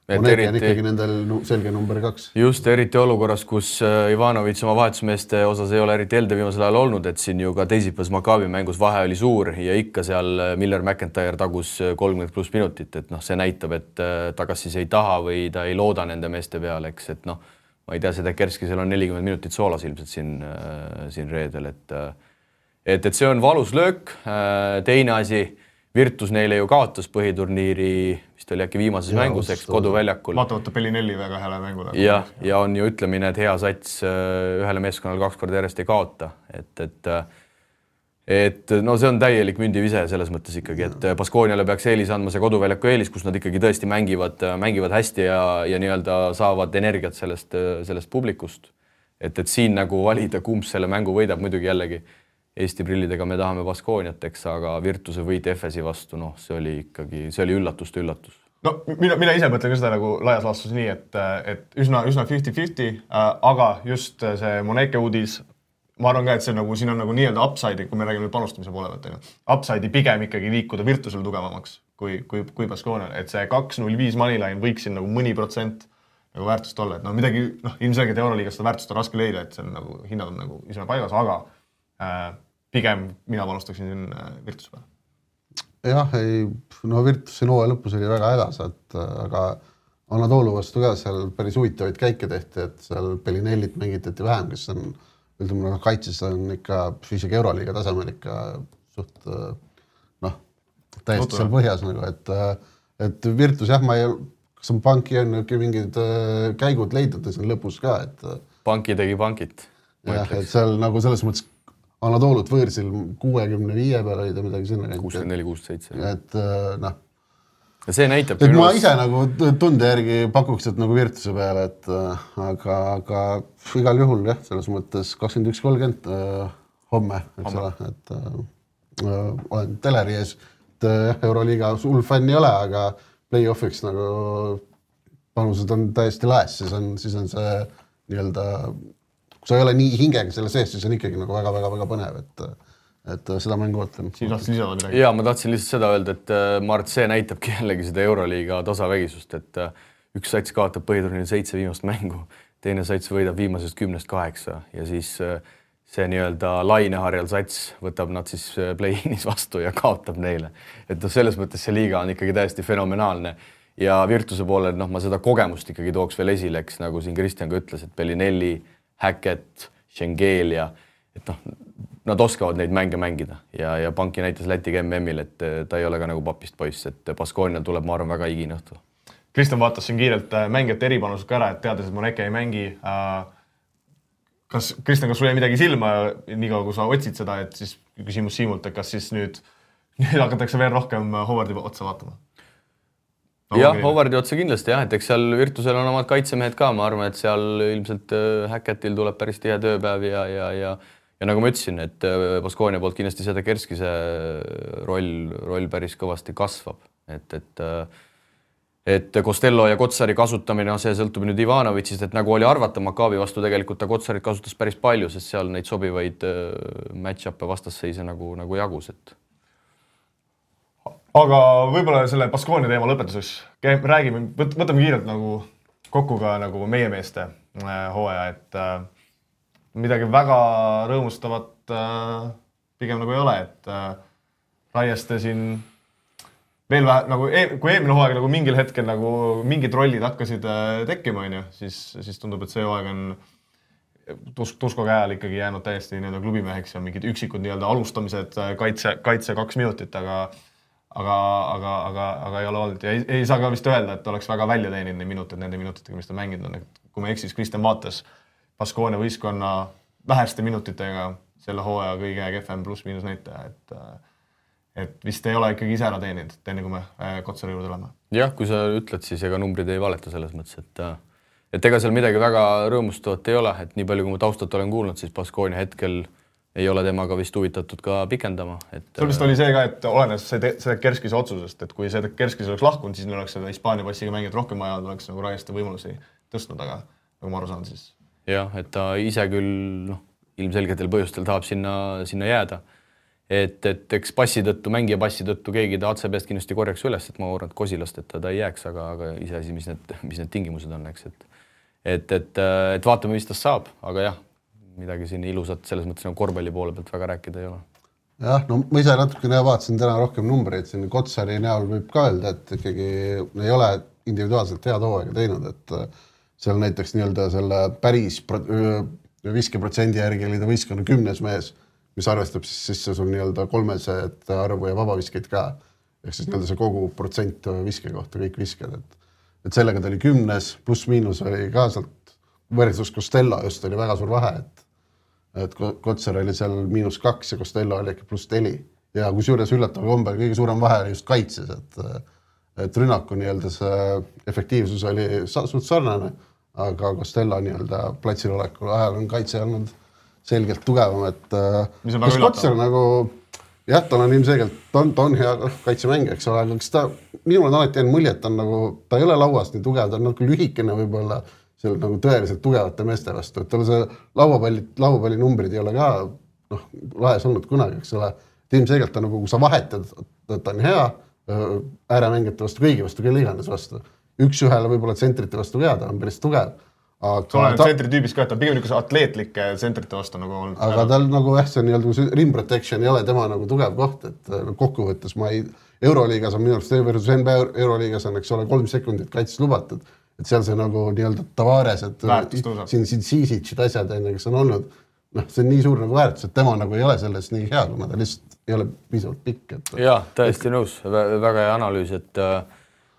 Moneke on ikkagi nendel selge number 2. Just, eriti olukorras, kus Ivanovic oma vahetusmeeste osas ei ole eriti elde viimasel ajal olnud, et siin ju ka teisipäevas Maccabi mängus vahe oli suur ja ikka seal Miller McIntyre tagus 30+ minutit, et noh, see näitab, et ta kas siis ei taha või ta ei looda nende meeste peale, eks, et noh, ma ei tea, see Kerski seal on 40 minutit soolas ilmselt siin reedel, et see on valus löök. Teine asi, Virtus neile ju kaotas põhiturniiri, vist oli äkki viimases mängus, eks, koduväljakul. Vaatamata Bellinelli väga hääle mängule. Ja on ju ütlemine, et hea sats ühele meeskonnal 2 korda järjest ei kaota. Et no see on täielik mündivise selles mõttes ikkagi, et Baskoniale peaks eelis andma see koduväljaku eelis, kus nad ikkagi tõesti mängivad hästi ja nii-öelda saavad energiat sellest publikust. Et siin nagu valida, kumb selle mängu võidab, muidugi jällegi Eesti prillidega me tahame Baskoniat, eks, aga Virtuse võit Efesi vastu, noh, see oli üllatuste üllatus. No, mina ise mõtlen ka seda nagu laias laastus nii, et üsna 50-50, aga just see Moneke uudis, ma arvan ka, et see nagu, siin on nagu nii-öelda upside'i, kui me räägime panustamise poole pealt, upside'i pigem ikkagi liikuda Virtusel tugevamaks kui Baskonial, et see 2-0-5 moneyline võiks siin nagu mõni protsent nagu väärtust olla, et no midagi, ilmselgelt Euroliigast seda väärtust on raske leida, et see on nagu, hinnad on nagu ise paigas, aga pigem mina panustaksin siin Virtuse peale. Jah, Virtuse hooaja lõpus oli väga hädas, aga Anatoolu vastu ka seal päris huvitavaid käike tehti, et seal Bellinellit mängitati vähem, kes on, ütleme, kaitses on ikka isegi Euroliiga tasemel ikka suht, täiesti seal põhjas nagu, et Virtus, jah, kas on Panki on mingid käigud leidnud siin lõpus ka, et Panki tegi Pankit. Jah, et seal nagu selles mõttes Anatoolut võõrsil 65 peal oli ta midagi sinna. 64-67. Et noh. Ja see näitab... Et ma ise nagu tunde järgi pakuks, et nagu Virtuse peale, et aga igal juhul, jah, selles mõttes 21.30 homme, eks ole, et olen teleri ees, et Euroliiga hull fänn ei ole, aga play-offiks nagu panused on täiesti laes, siis on see nii-öelda... Kui sa ei ole nii hingega selle sees, siis on ikkagi nagu väga põnev, et seda mängu ootan. Siin tahtsid lisada midagi? Jaa, ma tahtsin lihtsalt seda öelda, et ma arvan, et see näitabki jällegi seda Euroliiga tasavägisust, et üks sats kaotab põhiturniiri 7 viimast mängu, teine sats võidab viimasest 10-8 ja siis see nii-öelda laineharjal sats võtab nad siis play-inis vastu ja kaotab neile. Et selles mõttes see liiga on ikkagi täiesti fenomenaalne ja Virtuse poolel ma seda kogemust ikkagi tooks veel esile, eks nagu siin Kristjan ka ütles, et Bellinelli, Hackett, Schengelia, et nad oskavad neid mänge mängida ja Panki näitas Lätiga MM-il, et ta ei ole ka nagu papist poiss, et Baskonial tuleb, ma arvan, väga igine õhtu. Kristjan vaatas siin kiirelt mängijate eripanused ka ära, et teades, et Moneke ei mängi. Kristjan, kas sul jäi midagi silma niikaua, kui sa otsid seda, et siis küsimus Siimult, et kas siis nüüd hakatakse veel rohkem Howardi otsa vaatama? Jah, Howardi otsa kindlasti jah, et eks seal Virtusel on omad kaitsemehed ka, ma arvan, et seal ilmselt Hackettil tuleb päris tihe tööpäev ja nagu ma ütlesin, et Baskonia poolt kindlasti seda Kerskise roll päris kõvasti kasvab, et Costello ja Kotsari kasutamine, see sõltub nüüd Ivanovitšist, et nagu oli arvata, Maccabi vastu tegelikult ta Kotsarit kasutas päris palju, sest seal neid sobivaid match-up'e vastasseise nagu jagus, et aga võib-olla selle Baskonia teema lõpetuseks räägime, võtame kiirelt nagu kokku ka nagu meie meeste hooaja, et midagi väga rõõmustavat pigem nagu ei ole, et Raieste siin veel vähe, nagu kui eelmine hooaeg nagu mingil hetkel nagu mingid rollid hakkasid tekkima, siis tundub, et see hooaeg on Tusko käel ikkagi jäänud täiesti klubimeheks ja mingid üksikud alustamised kaitse 2 minutit, aga ei ole olnud ja ei saa ka vist öelda, et oleks väga välja teeninud nende minutitega, mis ta mänginud on. Kui me eksis, Kristjan vaatas Baskonia võistkonna väheste minutitega selle hooaja kõige kehvem pluss-miinus näitaja, et vist ei ole ikkagi ise ära teeninud, enne kui me Kotsari juurde oleme. Jah, kui sa ütled, siis ega numbrid ei valeta selles mõttes, et ega seal midagi väga rõõmustavat ei ole, et nii palju, kui ma taustat olen kuulnud, siis Baskonia hetkel ei ole temaga vist huvitatud ka pikendama. Sul vist oli see ka, et olenes see Kerskise otsusest, et kui see Kerskise oleks lahkunud, siis neil oleks seda Hispaania passiga mängijat rohkem vaja, oleks nagu Raieste võimalusi tõstnud, aga nagu ma aru saan siis. Jah, et ta ise küll ilmselgetel põhjustel tahab sinna jääda. Et eks mängija passi tõttu keegi ta ACB-st kindlasti korjaks üles, et ma arvan, et Kosilast, et ta ei jääks, aga iseasi, mis need tingimused on, eks. Et vaatame, mis tast saab, aga jah, midagi siin ilusat selles mõttes nagu korvpalli poole pealt väga rääkida ei ole. Jah, no ma ise natukene vaatasin täna rohkem numbreid, siin Kotsari näol võib ka öelda, et ikkagi ei ole individuaalselt head hooaega teinud, et seal näiteks selle päris viskeprotsendi järgi oli ta võistkonna 10. mees, mis arvestab siis sul 300 arvu ja vabaviskeid ka, ehk siis see kogu protsent viske kohta, kõik visked, et sellega ta oli 10, pluss-miinus oli ka sealt võrdsus Costello just oli väga suur vahe, et Kotsar oli seal -2 ja Costello oli äkki +4 ja kusjuures üllatav kombel kõige suurem vahe oli just kaitses, et rünnaku see efektiivsus oli suht sarnane, aga Costello platsil olekul ajal on kaitse olnud selgelt tugevam, et mis Kotsar nagu jah, tal on ilmselgelt, ta on hea kaitsemäng, eks ole, aga minul on alati jäänud mulje, et ta ei ole lauas nii tugev, ta on nagu lühikene võib-olla seal nagu tõeliselt tugevate meeste vastu, et tal see lauapalli numbrid ei ole ka lahes olnud kunagi, eks ole. Ilmselgelt ta nagu, kui sa vahetad, ta on hea ääremängijate vastu, kõigi vastu, kelle iganes vastu. Üks-ühele võib-olla tsentrite vastu ka, ta on päris tugev. Sa olen tsentri tüübis ka, et ta pigem niisuguse atleetlike tsentrite vastu nagu olnud. Aga tal nagu see rim protection ei ole tema nagu tugev koht, et kokkuvõttes Euroliigas on minu arust NBA Euroliigas on, eks ole, 3 sekundit kaitses lubatud. Et seal see nagu Tavares, et siin Sisicid asjad, kes on olnud, see on nii suur nagu väärtus, et tema nagu ei ole selles nii hea, kuna ta lihtsalt ei ole piisavalt pikk. Jah, täiesti nõus, väga hea analüüs,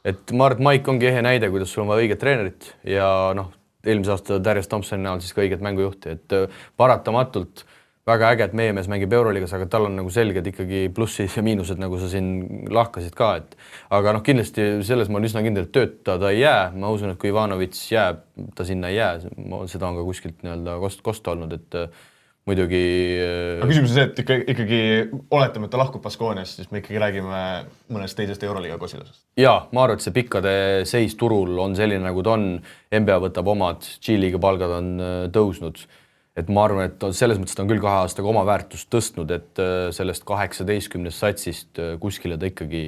et Mart Maik ongi ehe näide, kuidas sul on vaja õiget treenerit ja eelmise aasta Darius Thompsoni näol siis ka õiget mängujuhti, et paratamatult väga äge, et meie mees mängib Euroliigas, aga tal on nagu selged ikkagi plussid ja miinused, nagu sa siin lahkasid ka, aga kindlasti selles ma olen üsna kindel, et tööta ta ei jää. Ma usun, et kui Ivanovitš jääb, ta sinna ei jää. Seda on ka kuskilt kosta olnud, et muidugi... Aga küsimus on see, et ikkagi oletame, et ta lahkub Baskoniast, siis me ikkagi räägime mõnest teisest Euroliiga Kosilasest. Jaa, ma arvan, et see pikkade seis turul on selline, nagu ta on. NBA võtab omad, G-liiga palgad on tõusnud. Et ma arvan, et selles mõttes ta on küll 2 aastaga oma väärtust tõstnud, et sellest 18 satsist kuskile ta ikkagi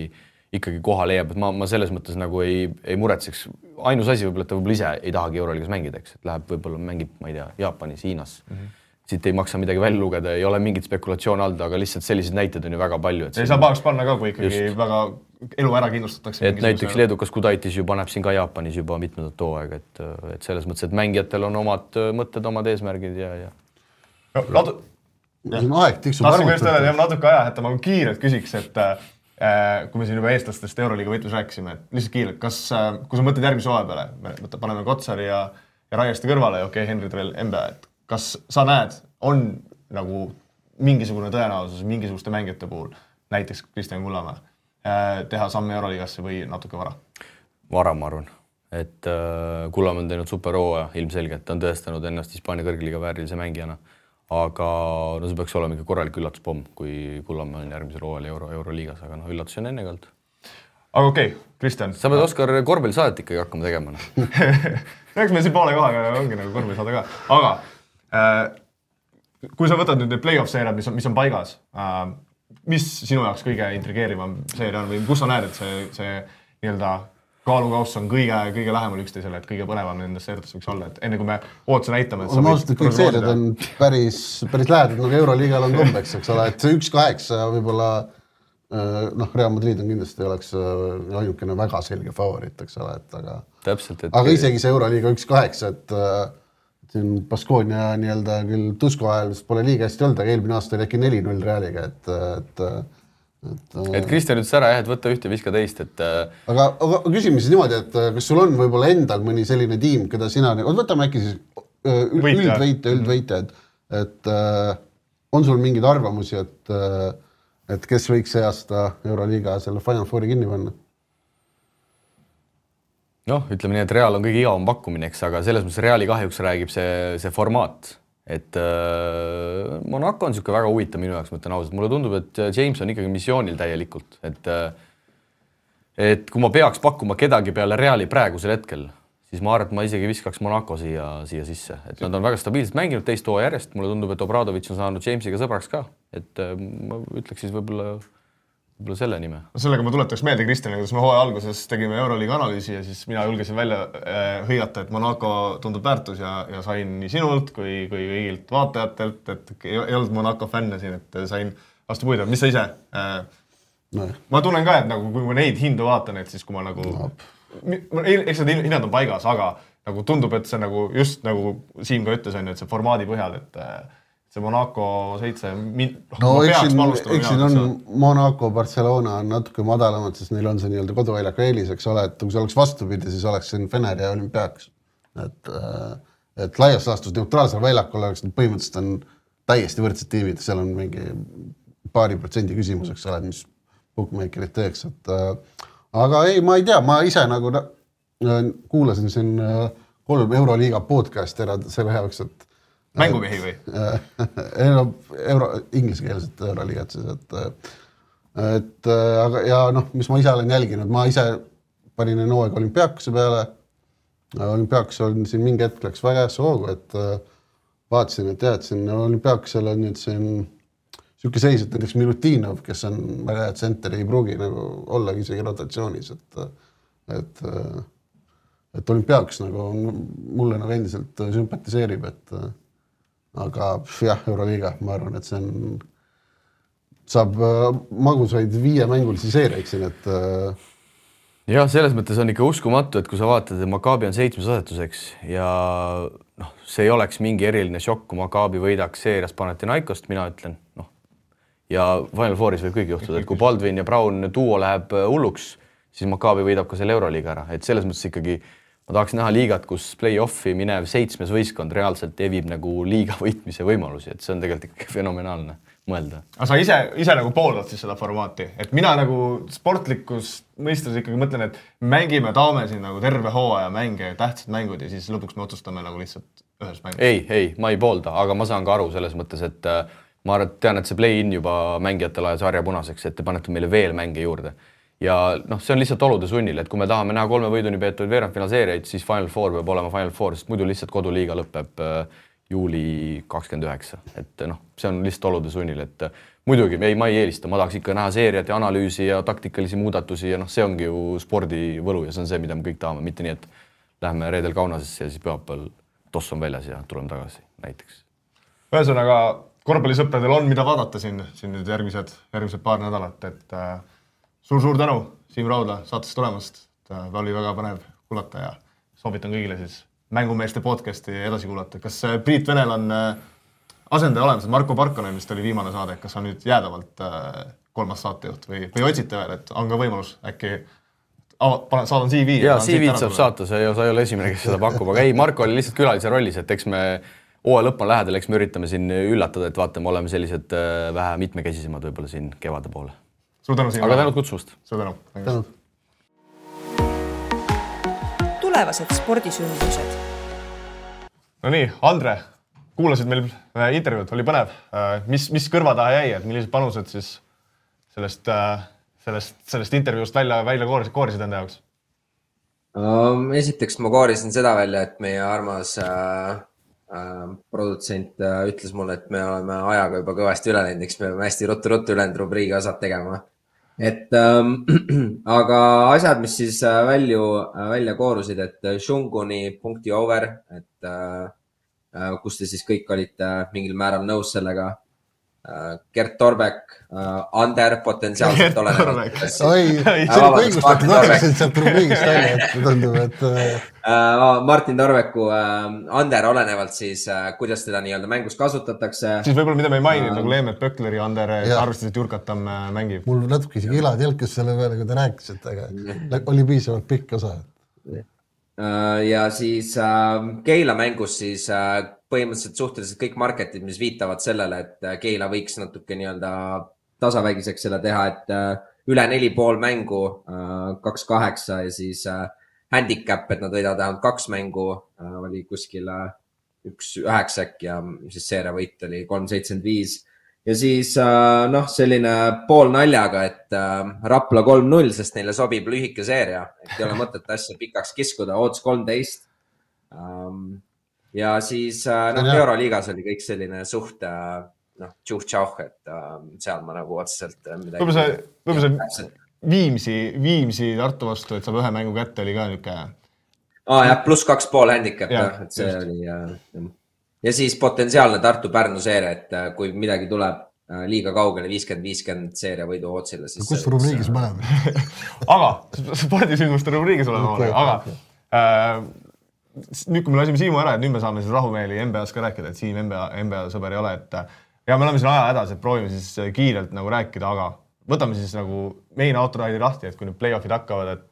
ikkagi koha leiab, et ma selles mõttes nagu ei muretseks. Ainus asi võib-olla, et ta võib-olla ise ei tahagi Euroliigas mängida, eks, et läheb võib-olla mängib, ma ei tea, Jaapanis, Hiinas. Siit ei maksa midagi välja lugeda, ei ole mingit spekulatsioon all, aga lihtsalt sellised näited on ju väga palju. Ei saa pahaks panna ka, kui ikkagi väga elu ära kindlustatakse. Et näiteks Leedukas Kudaitis juba näeb siin ka Jaapanis juba mitmendat hooaega, et selles mõttes, et mängijatel on omad mõtted, omad eesmärgid ja. Aeg tiksub tahtsin just öelda, et natuke aja, et ma kiirelt küsiks, et kui me siin juba eestlastest Euroliiga võitlus rääkisime, et lihtsalt kiirelt, kui sa mõtled järgmise hooaja peale, paneme Kotsari ja Raieste kõrvale ja Henry veel NBA, et kas sa näed, on nagu mingisugune tõenäosus mingisuguste mängijate puhul, näiteks Kristjan Kullamäe, teha samme Euroliigasse või natuke vara? Vara, ma arvan. Et Kullamäe on teinud super hooaja ilmselgelt, ta on tõestanud ennast Hispaania kõrgliiga väärilise mängijana, aga no see peaks olema ikka korralik üllatuspomm, kui Kullamäe on järgmisel hooajal Euroliigas, aga üllatusi on enne kalt. Aga okei, Kristjan. Sa pead Oskar korvpallisaadet ikkagi hakkama tegema. Eks meil siin poole kohaga ongi nagu korvpallisaade ka, aga kui sa võtad nüüd need play-off-seeriad, mis on paigas, mis sinu jaoks kõige intrigeerivam seeria on või kus sa näed, et see nii-öelda kaalukauss on kõige lähemal üksteisele, et kõige põnevam nendest seeriatest võiks olla, et enne kui me ootuse näitame, et ma ausalt, et kõik seeriad on päris lähedad, nagu Euroliigal on kombeks, eks ole, et see 1-8 võib-olla Real Madrid on kindlasti oleks ainukene väga selge favoriit, eks ole, et aga täpselt, et aga isegi see Euroliiga 1-8, et siin Baskonia nii-öelda küll Tusko ajal pole liiga hästi olnud, aga eelmine aasta oli äkki 4-0 Realiga, et Kristjan ütles ära, et võtta ühte, viska teist, et aga küsime siis niimoodi, et kas sul on võib-olla endal mõni selline tiim, keda sina, võtame äkki siis üldvõitja, et on sul mingeid arvamusi, et kes võiks see aasta Euroliiga selle Final Fouri kinni panna? Ütleme nii, et Real on kõige igavam pakkumine, eks, aga selles mõttes Reali kahjuks räägib see formaat, et Monaco on niisugune väga huvitav minu jaoks, mõtlen ausalt. Mulle tundub, et James on ikkagi missioonil täielikult, et kui ma peaks pakkuma kedagi peale Reali praegusel hetkel, siis ma arvan, et ma isegi viskaks Monaco siia sisse. Et nad on väga stabiilselt mänginud teist hooaja järjest. Mulle tundub, et Obradovic on saanud Jamesiga sõbraks ka. Et ma ütleks siis võib-olla selle nime. Sellega ma tuletaks meelde, Kristjan, kuidas me hooaja alguses tegime Euroliiga analüüsi ja siis mina julgesin välja hõigata, et Monaco tundub väärtus ja sain nii sinult kui kõigilt vaatajatelt, et ei olnud Monaco fänne siin, et sain vastu puida. Mis sa ise? Ma tunnen ka, et nagu, kui ma neid hindu vaatan, et siis kui ma nagu... Eks need hinnad on paigas, aga nagu tundub, et see nagu just nagu Siim ka ütles, et see formaadi põhjal, et see Monaco 7... eks siin on Monaco, Barcelona on natuke madalamad, sest neil on see nii-öelda koduväljaku eelis, eks ole, et kui see oleks vastupidi, siis oleks siin Fener ja Olümpiaks. Et laias laastus neutraalsel väljakul oleks põhimõtteliselt on täiesti võrdsed tiimid, seal on mingi paari protsendi küsimus, eks ole, mis bookmakerid teeks, et aga ei, ma ei tea, ma ise nagu kuulasin siin 3 Euroliiga podcasti ära selle jaoks, et mängumehi või? Ingliskeelset Euroliigat siis, aga ja mis ma ise olen jälginud, ma ise panin hooaeg Olümpiakuse peale. Olümpiakus on siin mingi hetk läks väga hästi hoogu, et vaatasin, et jah, et siin Olümpiakusel on nüüd siin siuke seis, et näiteks Milutinov, kes on väga hea tsenter, ei pruugi nagu ollagi isegi rotatsioonis, et Olümpiakus nagu mulle nagu endiselt sümpatiseerib, et aga jah, Euroliiga, ma arvan, et see saab magusaid 5 mängulisi seeriaid siin, et ja selles mõttes on ikka uskumatu, et kui sa vaatad, et Maccabi on 7. asetuseks ja see ei oleks mingi eriline šokk, kui Maccabi võidaks seerias Panathinaikost, mina ütlen, ja Final Fouris võib kõigi juhtuda, et kui Baldwin ja Brown duo läheb hulluks, siis Maccabi võidab ka selle Euroliiga ära, et selles mõttes ikkagi ma tahaks näha liigat, kus play-offi minev 7. võistkond reaalselt evib nagu liiga võitmise võimalusi, et see on tegelikult ikkagi fenomenaalne mõelda. Aga sa ise nagu pooldad siis seda formaati, et mina nagu sportlikus mõistes ikkagi mõtlen, et mängime, taame siin nagu terve hooaja mänge, tähtsad mängud ja siis lõpuks me otsustame nagu lihtsalt ühes mängus. Ei, ma ei poolda, aga ma saan ka aru selles mõttes, et ma tean, et see play-in juba mängijatele ajas harja punaseks, et te panete meile veel mänge juurde. Ja see on lihtsalt olude sunnil, et kui me tahame näha 3 võiduni peetud veerandfinaalseeriaid, siis Final Four peab olema Final Four, sest muidu lihtsalt koduliiga lõpeb juuli 29. Et see on lihtsalt olude sunnil, et muidugi, ma ei eelista, ma tahaks ikka näha seeriat ja analüüsi ja taktikalisi muudatusi ja see ongi ju spordi võlu ja see on see, mida me kõik tahame, mitte nii, et lähme reedel Kaunasesse ja siis pühapäeval toss on väljas ja tuleme tagasi näiteks. Ühesõnaga, korvpallisõpradel on mida vaadata siin nüüd järgmised paar nädalat, et suur tänu Siim Raudla saatest tulemast. Oli väga põnev kuulata ja soovitan kõigile siis mängumeeste podcasti edasi kuulata. Kas Priit Venel on asendaja olemas, Marko Parkonen vist oli viimane saade, kas on nüüd jäädavalt 3. saatejuht või otsite veel, et on ka võimalus äkki saadan CV. Jaa, CV-d saab saata, sa ei ole esimene, kes seda pakub, aga ei, Marko oli lihtsalt külalise rollis, et eks me hooaja lõpp on lähedal, eks me üritame siin üllatada, et vaatame, oleme sellised vähe mitmekesisemad võib-olla siin kevade poole. Suur tänu siin. Aga tänud kutsumast. Suur tänu. Tulevased spordisündmused. No nii, Andre, kuulasid meil intervjuud, oli põnev. Mis kõrva taha jäi, et millised panused siis sellest intervjuust välja koorisid enda jaoks? Esiteks ma koorisin seda välja, et meie armas produtsent ütles mulle, et me oleme ajaga juba kõvasti üle läinud, eks me oleme hästi ruttu ülenud rubriigi osad tegema. Aga asjad, mis siis välja koorusid, et Shunguni.over, et kus te siis kõik olite mingil määral nõus sellega. Gert Torbek, Ander potentsiaalselt olenevad. Oi, see on õigustatud aeglaselt sealt rubriigist välja, et tundub, et... Martin Torbeku, Ander olenevalt siis, kuidas teda nii-öelda mängus kasutatakse. Siis võib-olla mida me ei maininud, nagu Leemet Pökler ja Ander arvestasid Jurkatam mängib. Mul natuke isegi ilad jälkis selle peale, kui te rääkisite, aga oli piisavalt pikk osa. Ja siis Keila mängus siis põhimõtteliselt suhteliselt kõik marketid, mis viitavad sellele, et Keila võiks natuke nii-öelda tasavägiseks selle teha, et üle 4,5 mängu 2-8 ja siis handicap, et nad võidavad vähemalt 2 mängu, oli kuskil 1-9 äkki ja siis seeria võit oli 3-75. Ja siis selline pool naljaga, et Rapla 3-0, sest neile sobib lühike seeria, et ei ole mõtet asja pikaks kiskuda, odds 13. Ja siis Euroliigas oli kõik selline suht tšuh-tšauh, et seal ma nagu otseselt midagi... Võib-olla see Viimsi Tartu vastu, et saab ühe mängu kätte, oli ka niisugune... Jah, +2,5 handicap, et see oli... Ja siis potentsiaalne Tartu-Pärnu seeria, et kui midagi tuleb liiga kaugele 50-50 seeria võidu otsile, siis... Kus rubriigis mõneb? Aga, spordisündmuste rubriigis oleme, aga nüüd, kui me lasime Siimu ära, et nüüd me saame siis rahumeeli NBA-s ka rääkida, et Siim NBA sõber ei ole, et ja me oleme siin aja hädas, et proovime siis kiirelt nagu rääkida, aga võtame siis nagu main autoride'i lahti, et kui nüüd play-offid hakkavad, et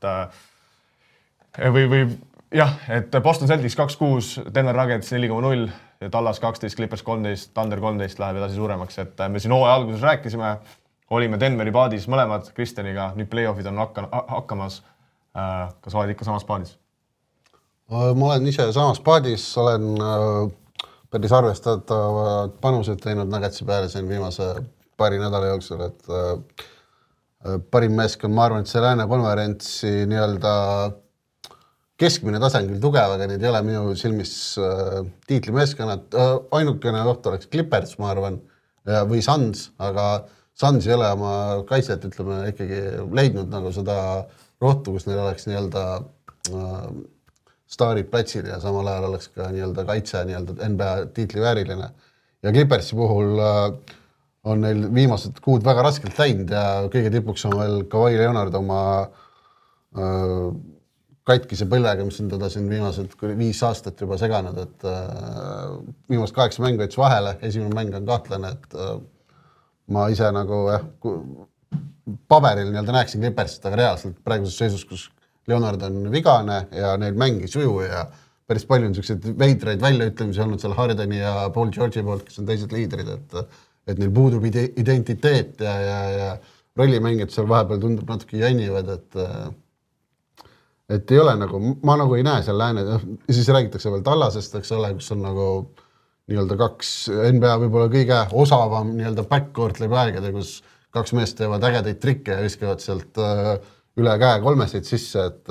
et Boston Celtics 2-6, Denver Nuggets 4,0 ja Dallas 12, Clippers 13, Thunder 13 läheb edasi suuremaks, et me siin hooaja alguses rääkisime, olime Denveri paadis mõlemad Kristjaniga, nüüd play-offid on hakkamas. Kas oled ikka samas paadis? Ma olen ise samas paadis, olen päris arvestatavat panused teinud Nuggetsi peale siin viimase paari nädala jooksul, et parim meeskond, ma arvan, et see Lääne konverentsi nii-öelda keskmine tasand küll tugev, aga need ei ole minu silmis tiitlimeeskonnad. Ainukene oht oleks Clippers, ma arvan, või Suns, aga Suns ei ole oma kaitset, ütleme, ikkagi leidnud nagu seda rohtu, kus neil oleks nii-öelda staarid platsil ja samal ajal oleks ka nii-öelda kaitse nii-öelda NBA tiitlivääriline. Ja Clippersi puhul on neil viimased kuud väga raskelt läinud ja kõige tipuks on veel Kawhi Leonard oma katkise põllega, mis on teda siin viimased 5 aastat juba seganud, et viimased 8 mängu jättis vahele, esimene mäng on kahtlane, et ma ise nagu paberil nii-öelda näeksin Clippersit, aga reaalselt praeguses seisus, kus Leonard on vigane ja neil mängi suju ja päris palju on selliseid veidraid väljaütlemisi olnud seal Hardeni ja Paul George'i poolt, kes on teised liidrid, et neil puudub identiteet ja rollimängijad seal vahepeal tundub natuke jännivad, et ei ole nagu, ma nagu ei näe seal lääne, siis räägitakse veel Tallasest, eks ole, kus on nagu nii-öelda 2 NBA võib-olla kõige osavam nii-öelda backcourt läbi aegade, kus 2 meest teevad ägedaid trikke ja viskavad sealt üle käe 3-seid sisse, et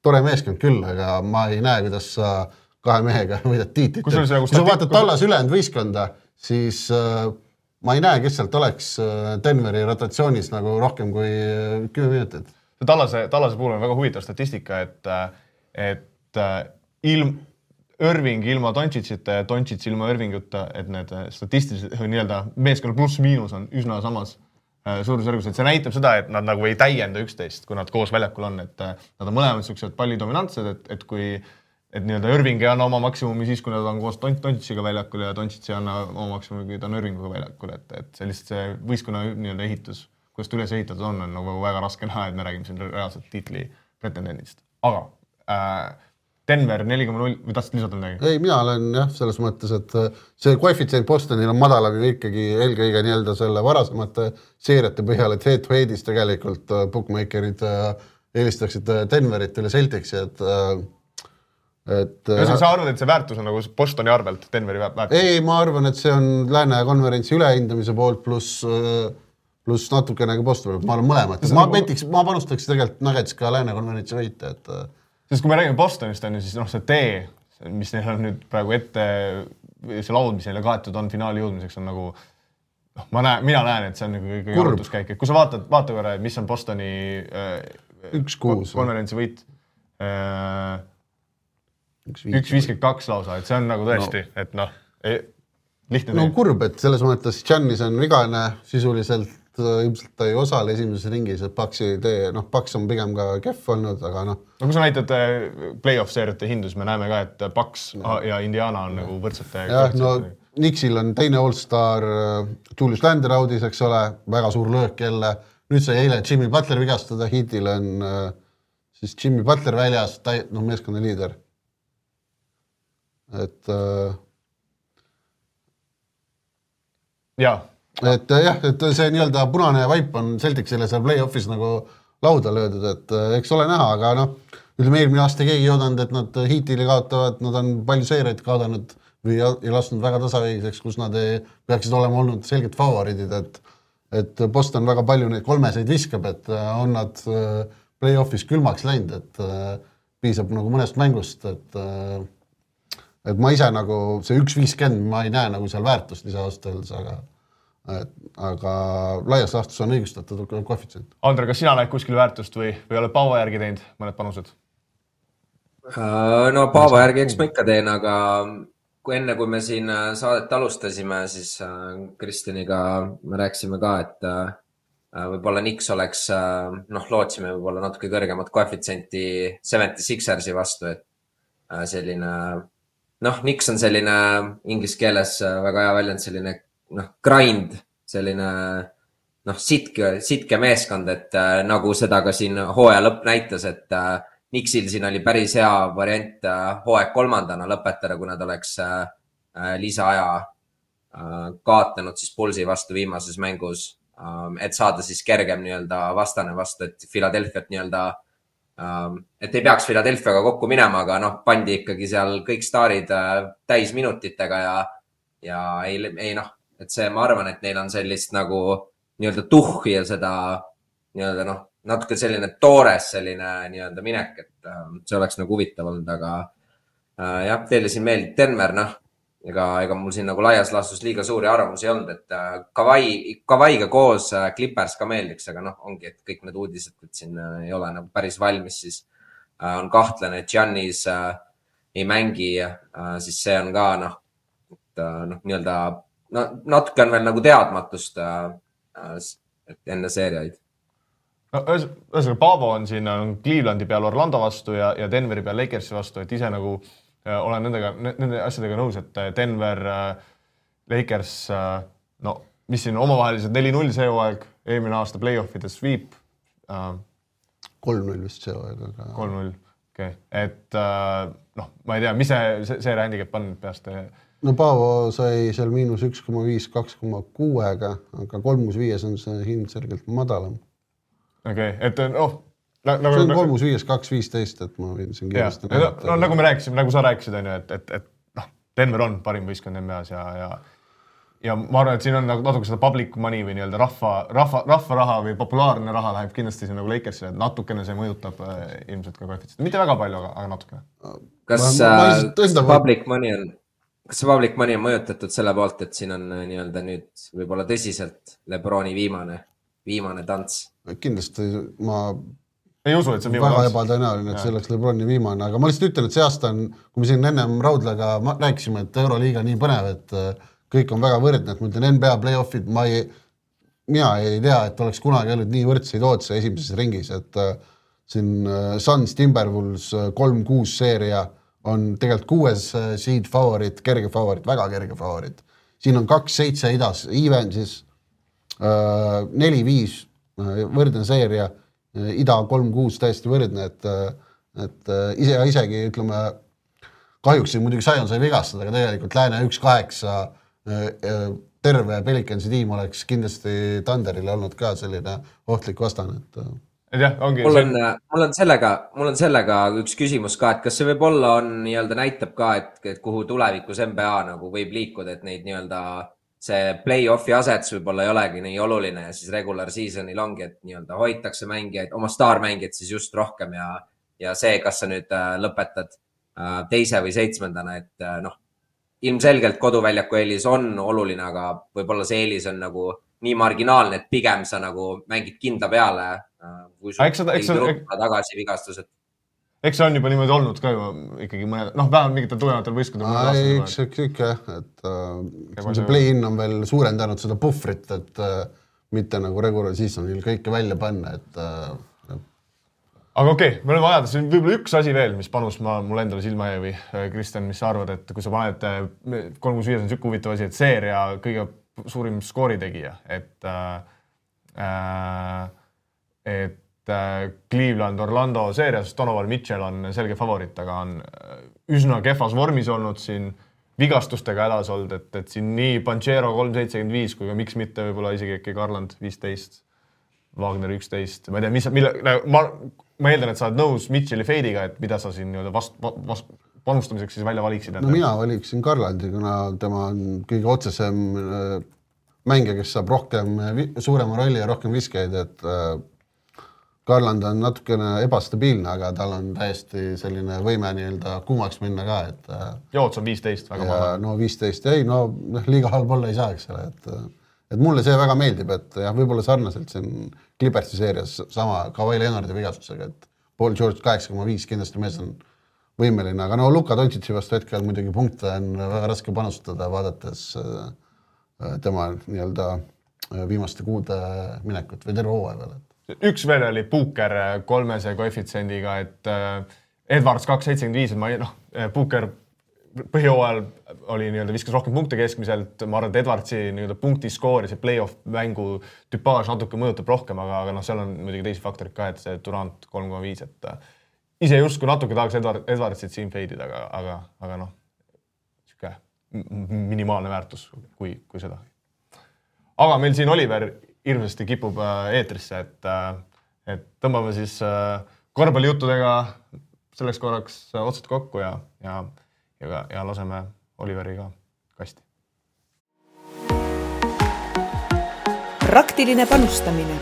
tore meeskond küll, aga ma ei näe, kuidas sa 2 mehega võidad tiitlit. Kui sa vaatad Tallas ülejäänud võistkonda, siis ma ei näe, kes sealt oleks Denveri rotatsioonis nagu rohkem kui 10 minutit. Tallase puhul on väga huvitav statistika, et Irving ilma Doncicita ja Doncic ilma Irvinguta, et need statistiliselt nii-öelda meeskonna pluss-miinus on üsna samas suurusjärgus, et see näitab seda, et nad nagu ei täienda üksteist, kui nad koos väljakul on, et nad on mõlemad sellised pallidominantsed, et kui nii-öelda Irving ei anna oma maksimumi siis, kui nad on koos Donciciga väljakul ja Doncic ei anna oma maksimumi, kui ta on Irvinguga väljakul, et see lihtsalt see võistkonna nii-öelda ehitus, kuidas ta üles ehitatud on nagu väga raske näha, et me räägime siin reaalselt tiitli pretendendist. Aga Denver 4,0 või tahtsid lisada midagi? Ei, mina olen jah, selles mõttes, et see koefitsient Bostonil on madalam ju ikkagi eelkõige nii-öelda selle varasemate seeriate põhjal, et head-to-headis tegelikult bookmakerid eelistaksid Denverit üle Celticsi, et sa arvad, et see väärtus on nagu Bostoni arvelt Denveri väärtus? Ei, ma arvan, et see on Lääne konverentsi ülehindamise poolt pluss natukene ka Bostoni, ma olen mõlemad. Ma panustaks tegelikult Nuggets ka Lääne konverentsi võita, et sest kui me räägime Bostonist, on ju, siis see tee, mis neil on nüüd praegu ette, see laud, mis neile kaetud on finaali jõudmiseks, on nagu, mina näen, et see on nagu kõige jaotuskäik. Kui sa vaata korra, mis on Bostoni 1-6 konverentsi võit, 1-52 lausa, et see on nagu tõesti, et lihtne tee. No kurb, et selles mõttes Giannis on vigane sisuliselt, ilmselt ta ei osale esimeses ringis, et Paxi tee, Pax on pigem ka kehv olnud, aga No kui sa näitad play-off seeriate hindus, me näeme ka, et Pax ja Indiana on nagu võrdsete. Knicksil on teine all-star Julius Randle audis, eks ole, väga suur löök jälle. Nüüd sai eile Jimmy Butler vigastada, Heatil on siis Jimmy Butler väljas, meeskonna liider. Et et see nii-öelda punane vaip on Celticsile seal play-offis nagu lauda löödud, et eks ole näha, aga ütleme eelmine aasta keegi ei oodanud, et nad Heatile kaotavad, nad on palju seeriaid kaotanud või ei lasknud väga tasavägiseks, kus nad peaksid olema olnud selgelt favoriidid, et Boston väga palju neid kolmeseid viskab, et on nad play-offis külmaks läinud, et piisab nagu mõnest mängust, et ma ise nagu see 1-50, ma ei näe nagu seal väärtust lisaasteldes, aga laias laastus on õigustatud koefitsient. Andre, kas sina näed kuskil väärtust või oled Paavo järgi teinud mõned panused? No Paavo järgi eks ma ikka teen, aga enne kui me siin saadet alustasime, siis Kristjaniga me rääkisime ka, et võib-olla Knicks oleks, lootsime võib-olla natuke kõrgemat koefitsienti 76ersi vastu, et selline, Knicks on selline inglise keeles väga hea väljend, selline grind, selline sitke meeskond, et nagu seda ka siin hooaja lõpp näitas, et Knicksil siin oli päris hea variant hooaeg 3. lõpetada, kui nad oleks lisaaja kaotanud siis Bullsi vastu viimases mängus, et saada siis kergem nii-öelda vastane vastu, et Philadelphiat nii-öelda, et ei peaks Philadelphiaga kokku minema, aga pandi ikkagi seal kõik staarid täis minutitega ja et see, ma arvan, et neil on sellist nagu nii-öelda tuhhi ja seda nii-öelda natuke selline toores selline nii-öelda minek, et see oleks nagu huvitav olnud, aga jah, teile siin meeldib Denver, ega mul siin nagu laias laastus liiga suuri arvamusi ei olnud, et Kawhiga koos Clippers ka meeldiks, aga ongi, et kõik need uudised, et siin ei ole nagu päris valmis, siis on kahtlane, et Giannis ei mängi, siis see on ka nii-öelda natuke on veel nagu teadmatust enne seeriaid. Ühesõnaga, Paavo on siin Clevelandi peal Orlando vastu ja Denveri peal Lakersi vastu, et ise nagu olen nende asjadega nõus, et Denver, Lakers, mis siin omavahelised 4-0 see hooaeg, eelmine aasta play-offides sweep. 3-0 vist see hooaeg, aga 3-0, okei. Et ma ei tea, mis see handicap on peast? Paavo sai seal -1,5, 2,6-ga, aga 3-5 on see hind selgelt madalam. Okei, et see on 3-5, 2-15, et ma võin siin kiiresti näidata. Nagu me rääkisime, nagu sa rääkisid, et Denver on parim võistkond NBA-s ja ma arvan, et siin on natuke seda public money või nii-öelda rahva raha või populaarne raha läheb kindlasti siin nagu Lakersile, et natukene see mõjutab ilmselt ka koefitsient. Mitte väga palju, aga natukene. Kas public money on Kas see public money on mõjutatud selle poolt, et siin on nii-öelda nüüd võib-olla tõsiselt Lebroni viimane tants? Kindlasti ma ei usu, et see on väga viimane. ebatõenäoline, et see oleks Lebroni viimane, aga ma lihtsalt ütlen, et see aasta on, kui me siin ennem Raudlaga rääkisime, et Euroliiga nii põnev, et kõik on väga võrdne, et ma ütlen NBA play-offid, mina ei tea, et oleks kunagi olnud nii võrdseid ootse esimeses ringis, et siin Suns Timberwolves 3-6 seeria on tegelikult 6 seed favorit, kerge favorit, väga kerge favorit. Siin on 2-7 idas, even siis 4-5 võrdne seeria, ida 3-6 täiesti võrdne, et isegi ütleme, kahjuks siin muidugi Zion sai vigastada, aga tegelikult Lääne 1-8 terve Pelicansi tiim oleks kindlasti Thunderile olnud ka selline ohtlik vastane, Mul on sellega üks küsimus ka, et kas see võib-olla nii-öelda näitab ka, et kuhu tulevikus NBA nagu võib liikuda, et neid nii-öelda see play-offi asets võib-olla ei olegi nii oluline ja siis regular seasonil ongi, et nii-öelda hoitakse mängijaid, oma staarmängijad siis just rohkem ja see, kas sa nüüd lõpetad 2. või 7, et ilmselgelt koduväljaku eelis on oluline, aga võib-olla see eelis on nagu nii marginaalne, et pigem sa nagu mängid kindla peale, kui sul ei turuppa tagasi vigastused. Eks see on juba niimoodi olnud ka ju ikkagi mõned, vähemalt mingitel tugevatel võistkondadel. Eks ikka, et see play-in on veel suurendanud seda puhvrit, et mitte nagu regular seasonil kõike välja panna, et aga okei, me oleme ajada, see on võib-olla üks asi veel, mis panus mul endale silma jäi või Kristjan, mis sa arvad, et kui sa paned 3-5 on siuke huvitav asi, et seeria kõige suurim skooritegija, et Cleveland, Orlando seerias, Donovan Mitchell on selge favorit, aga on üsna kehvas vormis olnud siin, vigastustega hädas olnud, et siin nii Banchero 3.75 kui ka miks mitte võib-olla isegi äkki Garland 15, Wagner 11, ma ei tea, ma eeldan, et sa oled nõus Mitchelli feidiga, et mida sa siin panustamiseks siis välja valiksid? No mina valiksin Garlandi, kuna tema on kõige otsesem mängija, kes saab suurema rolli ja rohkem viskeid, et Garland on natukene ebastabiilne, aga tal on täiesti selline võime nii-öelda kuumaks minna ka, et Joots on 15, väga maha. No 15, liiga halb olla ei saa, eks ole, et mulle see väga meeldib, et jah, võib-olla sarnaselt siin Clippersi seerias sama Kawhi Leonardi vigastusega, et Paul George 8,5 kindlasti mees on võimeline, aga Luka Doncic'i vastu hetkel muidugi punkte on väga raske panustada, vaadates tema nii-öelda viimaste kuude minekut või terve hooaja peale. Üks veel oli Puuker 3 koefitsiendiga, et Edwards 2.75, Puuker põhjooajal oli nii-öelda viskas rohkem punkte keskmiselt, ma arvan, et Edwardsi nii-öelda punktiskoori, see play-off mängu tüpaaž natuke mõjutab rohkem, aga seal on muidugi teisi faktorid ka, et see Durant 3.5, et ise justkui natuke tahaks Edwardsit siin feidida, aga siuke minimaalne väärtus, kui seda. Aga meil siin Oliver hirmsasti kipub eetrisse, et tõmbame siis korvpallijuttudega selleks korraks otsad kokku ja laseme Oliveri ka kasti. Praktiline panustamine.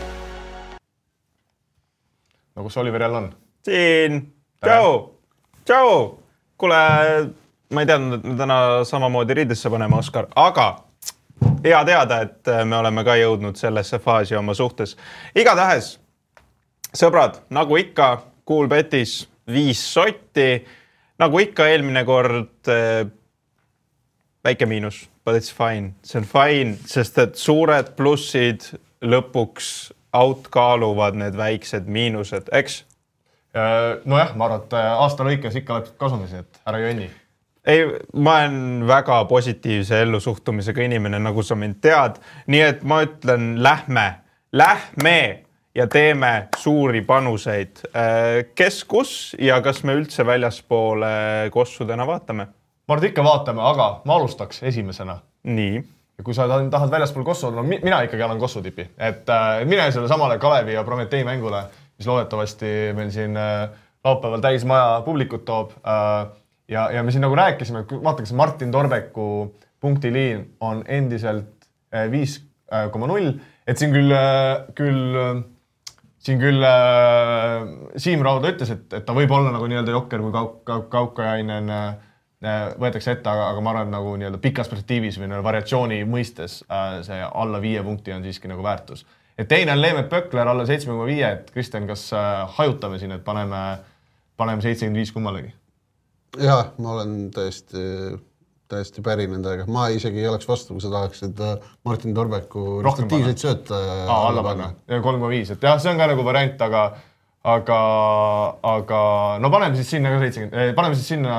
No kus Oliver jälle on? Siin! Tšau! Kuule, ma ei teadnud, et me täna samamoodi riidesse paneme, Oskar, aga hea teada, et me oleme ka jõudnud sellesse faasi oma suhtes. Igatahes, sõbrad, nagu ikka, Coolbetis 5 sotti, nagu ikka eelmine kord väike miinus, but it's fine. See on fine, sest et suured plussid lõpuks outkaaluvad need väiksed miinused, eks? Nojah, ma arvan, et aasta lõikes ikka oled kasumis, et ära jönni. Ei, ma olen väga positiivse ellusuhtumisega inimene, nagu sa mind tead. Nii et ma ütlen, lähme ja teeme suuri panuseid. Kes kus ja kas me üldse väljaspoole kossudena vaatame? Ma arvan, ikka vaatame, aga ma alustaks esimesena. Nii. Ja kui sa tahad väljaspool kossu, mina ikkagi annan kossu tipi. Et mine selle samale Kalevi ja Prometei mängule, mis loodetavasti meil siin laupäeval täis maja publikut toob. Ja me siin nagu rääkisime, et vaataks Martin Torbeku punktiliin on endiselt 5,0, et siin küll Siim Rauda ütles, et ta võib olla nagu nii-öelda jokker, kui Kaukajainen võetakse ette, aga ma arvan, et nagu nii-öelda pikas perspektiivis või variatsiooni mõistes see alla 5 punkti on siiski nagu väärtus. Et teine on Leemet Pökler alla 7,5, et Kristjan, kas hajutame siin, et paneme 75 kummalegi? Jah, ma olen täiesti päri nendega. Ma isegi ei oleks vastu, kui sa tahaksid Martin Torbeku restatiivseid sööta alla panna. 3,5, et jah, see on ka nagu variant, aga no paneme siis sinna ka 70, paneme siis sinna...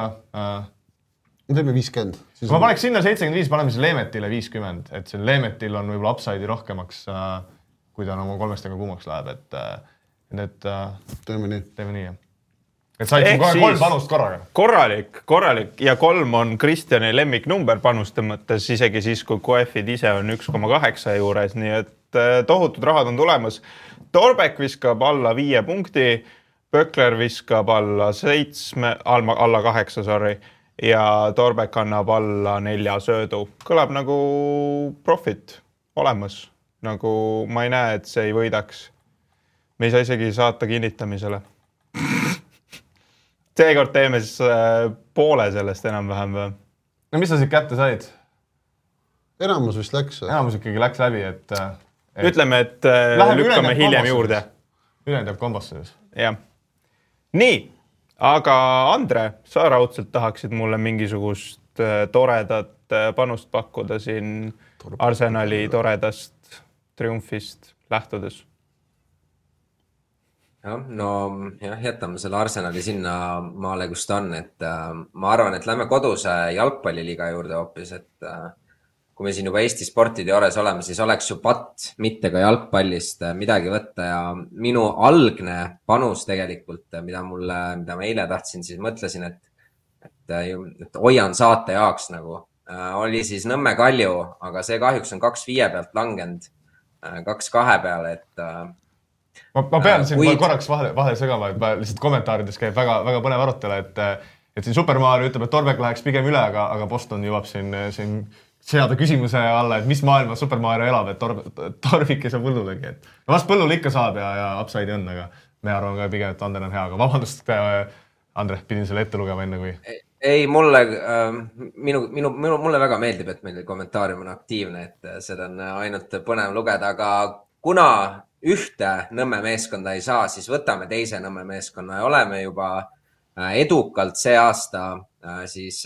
Teeme 50. Kui ma paneks sinna 75, paneme siis Leemetile 50, et see Leemetil on võib-olla upside'i rohkemaks, kui ta oma 3 kuumaks läheb, et teeme nii. Teeme nii, jah. Et said kohe 3 panust korraga. Korralik ja 3 on Kristjani lemmiknumber panuste mõttes, isegi siis, kui koefid ise on 1,8 juures, nii et tohutud rahad on tulemas. Torbek viskab alla 5 punkti, Pökler viskab alla 8, ja Torbek annab alla 4 söödu. Kõlab nagu profit olemas. Nagu ma ei näe, et see ei võidaks. Me ei saa isegi saata kinnitamisele. Seekord teeme siis poole sellest enam-vähem või? No mis sa siit kätte said? Enamus vist läks. Enamus ikkagi läks läbi, et... Ütleme, et lükkame hiljem juurde. Ülejäänud jääb kombasse siis. Jah. Nii, aga Andre, sa raudselt tahaksid mulle mingisugust toredat panust pakkuda siin Arsenali toredast triumfist lähtudes. Jätame selle Arsenali sinna maale, kus ta on, et ma arvan, et lähme koduse jalgpalliliiga juurde hoopis, et kui me siin juba Eesti sportide juures oleme, siis oleks ju patt mitte ka jalgpallist midagi võtta ja minu algne panus tegelikult, mida ma eile tahtsin, siis mõtlesin, et hoian saate jaoks nagu, oli siis Nõmme Kalju, aga see kahjuks on 2-5 pealt langenud 2-2 peale, et ma pean siin korraks vahele segama, et lihtsalt kommentaarides käib väga põnev arutelu, et siin Supermario ütleb, et Torbek läheks pigem üle, aga Boston jõuab siin seada küsimuse alla, et mis maailma Supermario elab, et Torbik ei saa põllulegi. Vast põllul ikka saab ja upside on, aga me arvan ka pigem, et Ander on hea, aga vabandust, Andre, pidin selle ette lugema enne kui... Ei, mulle väga meeldib, et meil kommentaarium on aktiivne, et seda on ainult põnev lugeda, aga kuna ühte Nõmme meeskonda ei saa, siis võtame teise Nõmme meeskonna ja oleme juba edukalt see aasta siis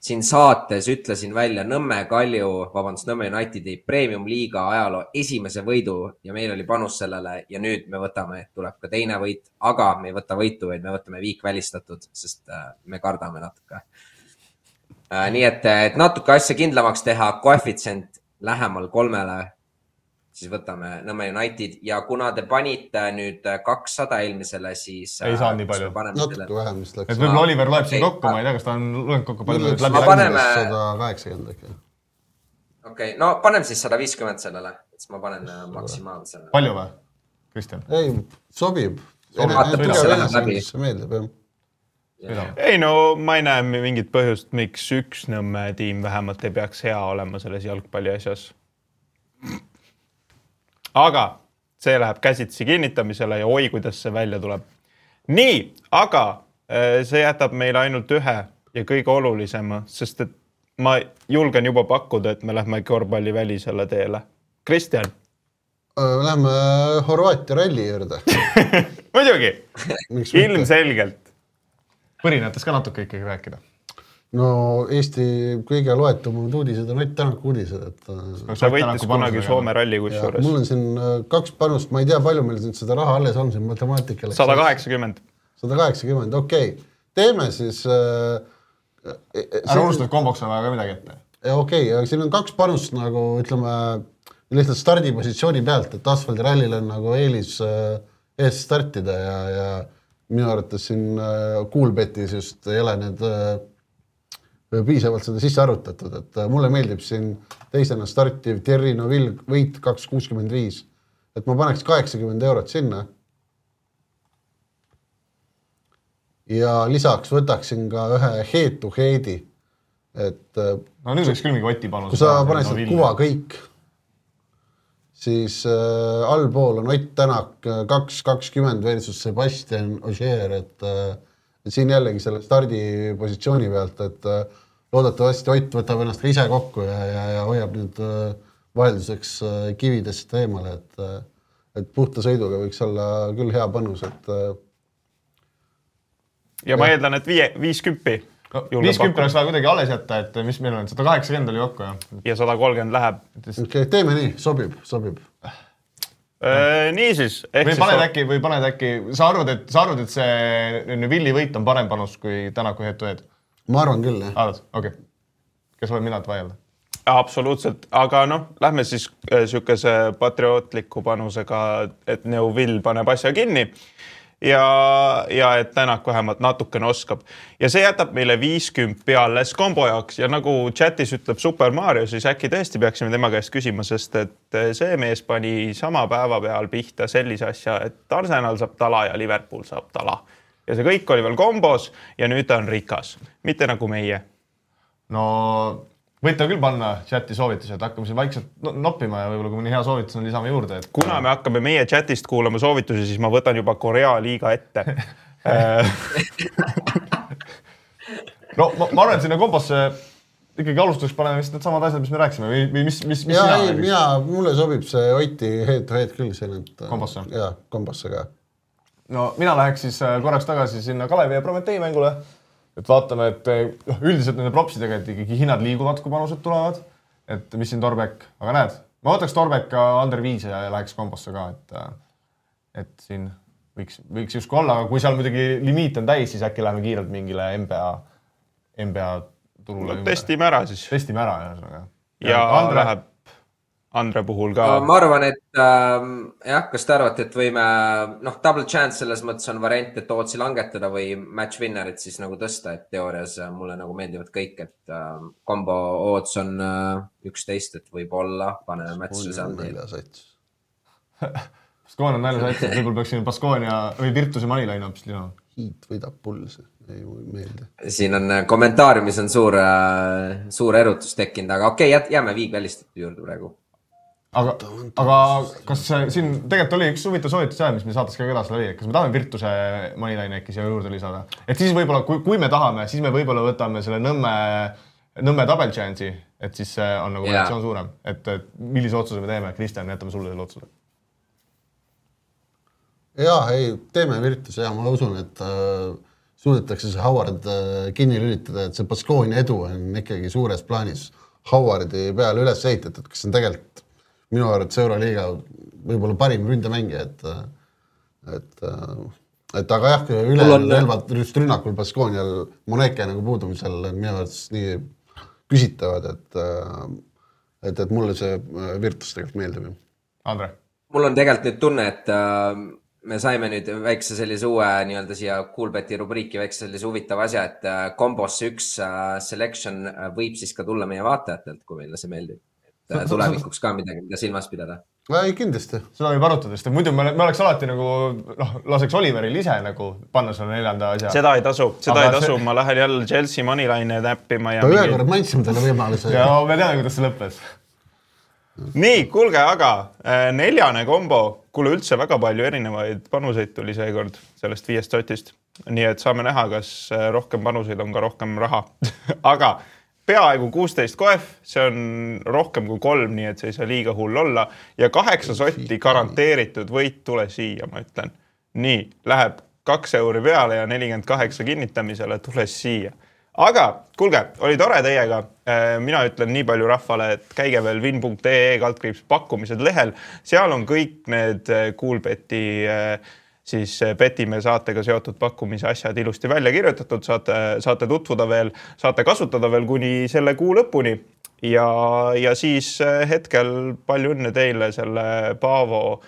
siin saates ütlesin välja Nõmme Unitedi Premium Liiga ajaloo esimese võidu ja meil oli panus sellele ja nüüd me võtame, tuleb ka teine võit, aga me ei võta võitu, vaid me võtame viik välistatud, sest me kardame natuke. Nii et natuke asja kindlamaks teha, koefitsient lähemal 3, siis võtame Nõmme United ja kuna te panite nüüd 200 eelmisele, siis... Ei saa nii palju. Natuke vähem vist läks. Et võib-olla Oliver loeb siin kokku, ma ei tea, kas ta on lugenud kokku palju läbi. Paneme... 180 äkki. Okei, no paneme siis 150 sellele, et ma panen maksimaalsele. Palju või, Kristjan? Ei, sobib. Meeldib, jah. Ei no, ma ei näe mingit põhjust, miks üks Nõmme tiim vähemalt ei peaks hea olema selles jalgpalli asjas. Aga see läheb käsitsi kinnitamisele ja oi, kuidas see välja tuleb. Nii, aga see jätab meile ainult ühe ja kõige olulisema, sest et ma julgen juba pakkuda, et me lähme korvpalli välisele teele. Kristjan? Lähme Horvaatia ralli juurde. Muidugi, ilmselgelt. Põrinätes ka natuke ikkagi rääkida. No Eesti kõige loetumad uudised on Ott Tänaku uudised. Ta võitis kunagi Soome ralli kusjuures. Mul on siin 2 panust, ma ei tea palju meil seda raha alles on siin matemaatikale. 180. 180, okei. Teeme siis... Ära unustad komboks on vaja ka midagi ette. Okei, aga siin on 2 panust nagu ütleme lihtsalt stardipositsiooni pealt, et asfaldirallil on nagu eelis ees startida ja minu arvates siin Coolbetis just ei ole need piisavalt seda sisse arvutatud, et mulle meeldib siin teisena startiv Thierry Neuville võit 2,65, et ma paneks 80 eurot sinna. Ja lisaks võtaksin ka ühe head-to-headi, et no nüüd võiks küll mingi Oti panus. Kui sa paneksid kuva kõik, siis allpool on Ott Tänak 2,20 versus Sebastian Ogier, et et siin jällegi selle stardipositsiooni pealt, et loodetavasti Ott võtab ennast ka ise kokku ja hoiab nüüd vahelduseks kividest eemale, et puhta sõiduga võiks olla küll hea panus, et ja ma eeldan, et 50. No, 50 oleks vaja kuidagi alles jätta, et mis meil on, 180 oli kokku, jah. Ja 130 läheb. Okay, teeme nii, sobib. Nii siis. Või paned äkki, sa arvad, et see Villi võit on parem panus kui Tänaku head-to-head? Ma arvan küll, jah. Arvad? Okei. Kes olen mina, et vaielda? Absoluutselt, aga lähme siis sükese patriootliku panusega, et Neuvill paneb asja kinni. Ja et Tänak vähemalt natukene oskab. Ja see jätab meile 50 alles kombo jaoks ja nagu chatis ütleb Super Mario, siis äkki tõesti peaksime tema käest küsima, sest et see mees pani sama päeva peal pihta sellise asja, et Arsenal saab tala ja Liverpool saab tala. Ja see kõik oli veel kombos ja nüüd ta on rikas. Mitte nagu meie. No võite küll panna chati soovitusi, et hakkame siin vaikselt noppima ja võib-olla kui mõni hea soovitus on lisame juurde. Et... Kuna me hakkame meie chatist kuulama soovitusi, siis ma võtan juba Korea liiga ette. No ma arvan, et sinna kombosse ikkagi alustuseks paneme vist need samad asjad, mis me rääkisime või mis mulle sobib see Oti head-to-head küll siin. Kombosse? Jaa, kombosse ka. No mina läheks siis korraks tagasi sinna Kalevi ja Prometee mängule. Et vaatame, et üldiselt nende propsidega, et ikkagi hinnad liiguvad, kui panused tulevad. Et mis siin Torbek, aga näed, ma võtaks Torbek ka under 5 ja läheks kombosse ka, et siin võiks justkui olla, aga kui seal muidugi limiit on täis, siis äkki läheme kiirelt mingile NBA turule. No, testime ära siis. Testime ära, ja Andre läheb Andre puhul ka. Ma arvan, et kas te arvate, et võime, double chance selles mõttes on variant, et ootsi langetada või match winnerit siis nagu tõsta, et teoorias mulle nagu meeldivad kõik, et kombo oots on 11, et võib-olla paneme match'le seal. Baskoon on nälja sait, et võib-olla peaks siin Baskoonia või Virtuse Manilaine hoopis lina. Hiit võidab pulse, ei meelde. Siin on kommentaariumis on suur erutus tekkinud, aga okei, jääme Viig välistatud juurde praegu. Aga kas siin tegelikult oli üks huvitav soovitus seal, mis me saates ka edasi läbi, kas me tahame Virtuse Manilaine äkki siia juurde lisada? Et siis võib-olla, kui me tahame, siis me võib-olla võtame selle Nõmme double chance'i, et siis see on nagu reaktsioon suurem. Et millise otsuse me teeme? Kristjan, jätame sulle selle otsuse. Teeme Virtuse ja ma usun, et suudetakse see Howard kinni lülitada, et see Baskoonia edu on ikkagi suures plaanis Howardi peale üles ehitatud, kes on tegelikult minu arvates Euroliiga võib-olla parim ründemängija, et aga jah, relvad just rünnakul Baskoonial Moneke nagu puudumisel on minu arvates nii küsitavad, et mulle see Virtus tegelikult meeldib. Andre? Mul on tegelikult nüüd tunne, et me saime nüüd väikse sellise uue nii-öelda siia Coolbeti rubriiki väikse sellise huvitava asja, et kombosse üks selection võib siis ka tulla meie vaatajatelt, kui meile see meeldib. Tulevikuks ka midagi, mida silmas pidada. Ei, kindlasti. Seda võib arutada, sest muidu me oleks alati nagu, laseks Oliveril ise nagu panna selle 4. asja. Seda ei tasu. Ma lähen jälle Chelsea Manilaine täppima. Ühe kord mandsime talle võimaluse. Ja me teame, kuidas see lõppes. Nii, kuulge, aga 4. kombo, kuule üldse väga palju erinevaid panuseid tuli seekord sellest 5 sotist. Nii et saame näha, kas rohkem panuseid on ka rohkem raha. Aga peaaegu 16 koef, see on rohkem kui 3, nii et see ei saa liiga hull olla. Ja 8 sotti garanteeritud võit tule siia, ma ütlen. Nii, läheb 2 euri peale ja 48 kinnitamisele tule siia. Aga, kuulge, oli tore teiega. Mina ütlen nii palju rahvale, et käige veel win.ee pakkumised lehel. Seal on kõik need Coolbeti siis petime saatega seotud pakkumise asjad ilusti välja kirjutatud, saate tutvuda veel, saate kasutada veel kuni selle kuu lõpuni ja siis hetkel palju õnne teile selle Paavo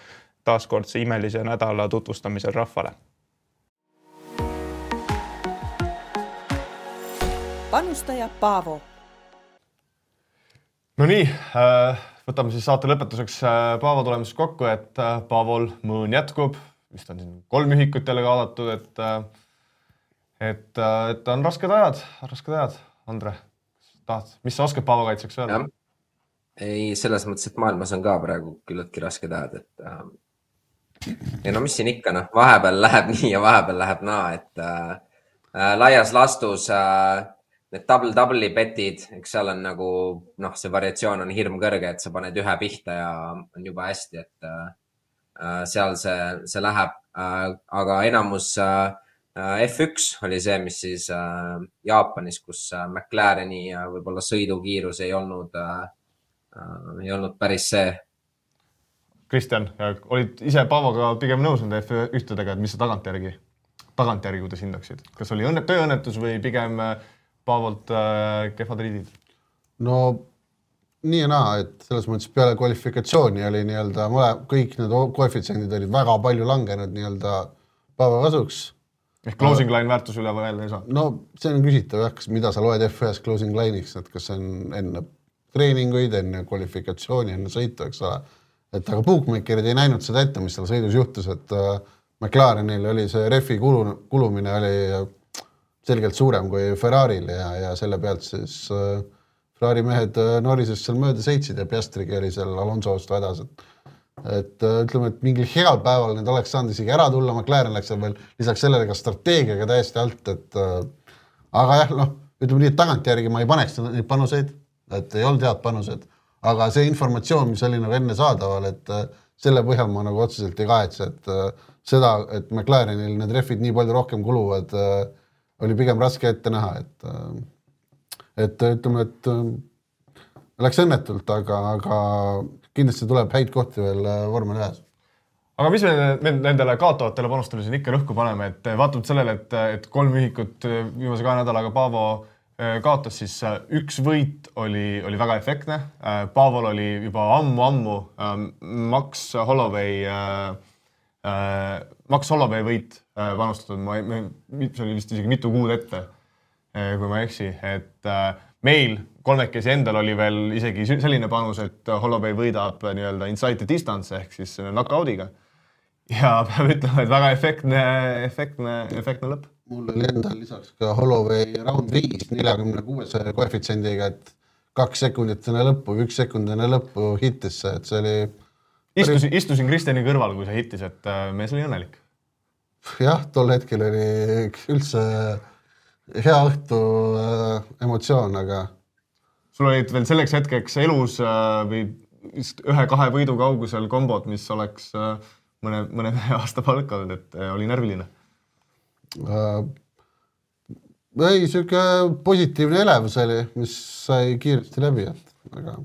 taaskordse imelise nädala tutvustamisel rahvale. Panustaja Paavo. No nii, võtame siis saate lõpetuseks Paavo tulemusest kokku, et Paavol mõõn jätkub. Vist on siin 3 ühikut jälle kaadatud, et on rasked ajad. Andre, mis sa oskad Paavo kaitseks öelda? Ei, selles mõttes, et maailmas on ka praegu küllaltki rasked ajad, et mis siin ikka, vahepeal läheb nii ja vahepeal läheb naa, et laias lastus need double betid, eks seal on nagu, see variatsioon on hirm kõrge, et sa paned ühe pihta ja on juba hästi, et seal see läheb. Aga enamus F1 oli see, mis siis Jaapanis, kus McLareni võib-olla sõidukiirus ei olnud päris see. Kristjan, olid ise Paavoga pigem nõus nende F1-dega, et mis sa tagantjärgi, kuidas hindaksid? Kas oli tööõnnetus või pigem Paavolt kehvad riidid? No nii ja naa, et selles mõttes peale kvalifikatsiooni oli nii-öelda, kõik need koefitsiendid olid väga palju langenud nii-öelda Paavo kasuks. Ehk closing line väärtus üle veel ei saa? No see on küsitav, mida sa loed F1-s closing line'iks, et kas on enne treeninguid, enne kvalifikatsiooni, enne sõitu, eks ole. Et aga bookmakerid ei näinud seda ette, mis seal sõidus juhtus, et McLarenil oli see refi kulumine oli selgelt suurem kui Ferraril ja selle pealt siis Ferrari mehed Norrisest seal mööda sõitsid ja Piastrigi oli seal Alonsost vedas, et ütleme, et mingil heal päeval need oleks saanud isegi ära tulla, McLaren läks seal veel lisaks sellele ka strateegiaga täiesti alt, et aga jah, ütleme nii, et tagantjärgi ma ei paneks neid panuseid, et ei olnud head panused, aga see informatsioon, mis oli nagu enne saadaval, et selle põhjal ma nagu otseselt ei kahetse, et seda, et McLarenil need refid nii palju rohkem kuluvad, oli pigem raske ette näha, et ütleme, et läks õnnetult, aga kindlasti tuleb häid kohti veel vormel 1. Aga mis me nendele kaotavatele panustele siin ikka rõhku paneme, et vaatamata sellele, et 3 ühikut viimase 2 nädalaga Paavo kaotas, siis üks võit oli väga efektne. Paavol oli juba ammu Max Holloway võit panustatud. See oli vist isegi mitu kuud ette, kui ma eksi. Et meil kolmekesi endal oli veel isegi selline panus, et Holloway võidab nii-öelda inside distance ehk siis knockoudiga. Ja peab ütlema, et väga efektne lõpp. Mul oli endal lisaks ka Holloway round 5 46 koefitsiendiga, et 2 sekundit enne lõppu, 1 sekund enne lõppu hittis see, et see oli... Istusin Kristjani kõrval, kui see hittis, et mees oli õnnelik. Jah, tol hetkel oli üldse hea õhtu emotsioon, aga... Sul olid veel selleks hetkeks elus või 1-2 võidu kaugusel kombod, mis oleks mõne aasta palk olnud, et oli närviline. Ei, siuke positiivne elevus oli, mis sai kiiresti läbi, aga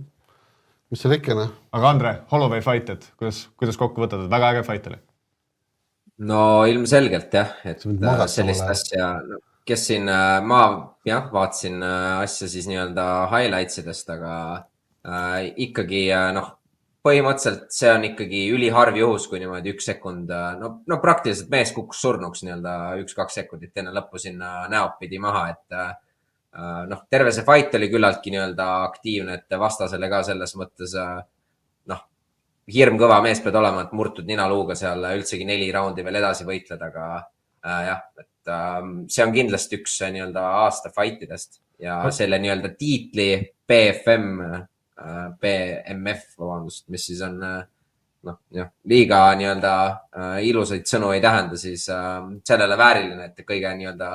mis seal ikka? Aga Andre, Holloway fight, et kuidas kokku võtad, et väga äge fight oli? No ilmselgelt jah, et sellist asja, kes siin, ma vaatasin asja siis nii-öelda highlightsidest, aga ikkagi põhimõtteliselt see on ikkagi üliharv juhus, kui niimoodi 1 sekund, praktiliselt mees kukkus surnuks nii-öelda 1-2 sekundit enne lõppu sinna näopidi maha, et terve see fight oli küllaltki nii-öelda aktiivne, et vastasele ka selles mõttes hirm kõva mees pead olema, et murtud ninaluuga seal üldsegi 4 raundi veel edasi võitled, aga jah, et see on kindlasti üks nii-öelda aasta fightidest ja selle nii-öelda tiitli BMF, mis siis on liiga nii-öelda ilusaid sõnu ei tähenda, siis sellele vääriline, et kõige nii-öelda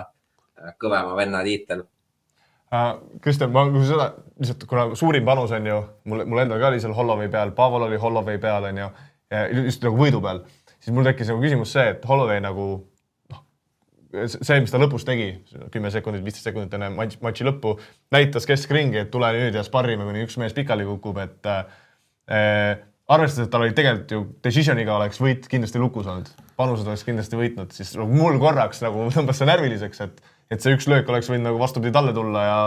kõvema venna tiitel. Kristjan, ma seda, lihtsalt kuna suurim panus on ju, mul endal ka oli seal Holloway peal, Paavol oli Holloway peal, on ju, just nagu võidu peal, siis mul tekkis nagu küsimus see, et Holloway nagu see, mis ta lõpus tegi, 10 sekundit, 15 sekundit enne matši lõppu, näitas keskringi, et tule nüüd ja sparrime, kuni üks mees pikali kukub, et arvestades, et tal oli tegelikult ju decisioniga oleks võit kindlasti lukus olnud, panused oleks kindlasti võitnud, siis mul korraks nagu tõmbas see närviliseks, et see üks löök oleks võinud nagu vastupidi talle tulla ja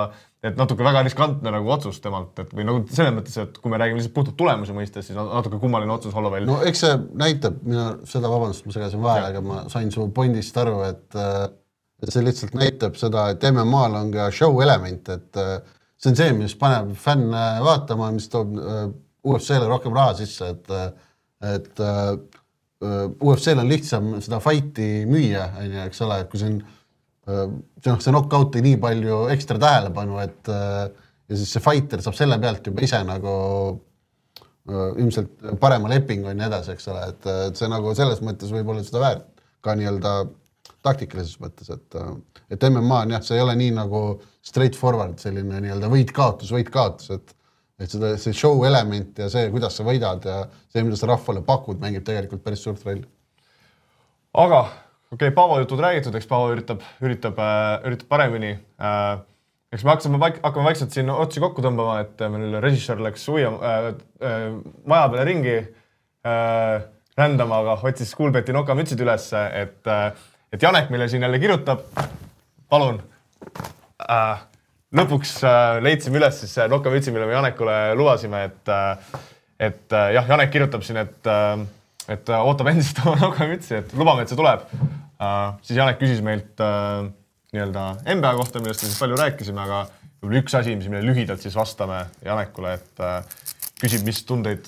et natuke väga riskantne nagu otsus temalt, et või nagu selles mõttes, et kui me räägime lihtsalt puhtalt tulemuse mõistes, siis natuke kummaline otsus Holloway. No eks see näitab, seda vabandust, ma segasin vahele, aga ma sain su pointist aru, et see lihtsalt näitab seda, et MMA-l on ka show element, et see on see, mis paneb fänne vaatama, mis toob UFC-le rohkem raha sisse, et UFC-l on lihtsam seda fighti müüa, eks ole, et kui see knockout ei nii palju ekstra tähelepanu, et ja siis see fighter saab selle pealt juba ise nagu ilmselt parema lepingu ja nii edasi, eks ole, et see nagu selles mõttes võib olla seda väärt ka nii-öelda taktikalises mõttes, et MMA on jah, see ei ole nii nagu straight forward selline nii-öelda võit-kaotus, et see show element ja see, kuidas sa võidad ja see, mida sa rahvale pakud, mängib tegelikult päris suurt rolli. Aga okei, Paavo jutud räägitud, eks Paavo üritab paremini. Eks me hakkame vaikselt siin otsi kokku tõmbama, et meil režissöör läks maja peale ringi rändama, aga otsis Kuulbeti nokamütsid üles, et Janek meile siin jälle kirjutab. Palun. Lõpuks leidsime üles siis nokamütsi, mille me Janekule lubasime, et jah, Janek kirjutab siin, et ootab endiselt oma nokamütsi, et lubame, et see tuleb. Siis Janek küsis meilt nii-öelda NBA kohta, millest me siis palju rääkisime, aga võib-olla üks asi, mis me lühidalt siis vastame Janekule, et küsib, mis tundeid,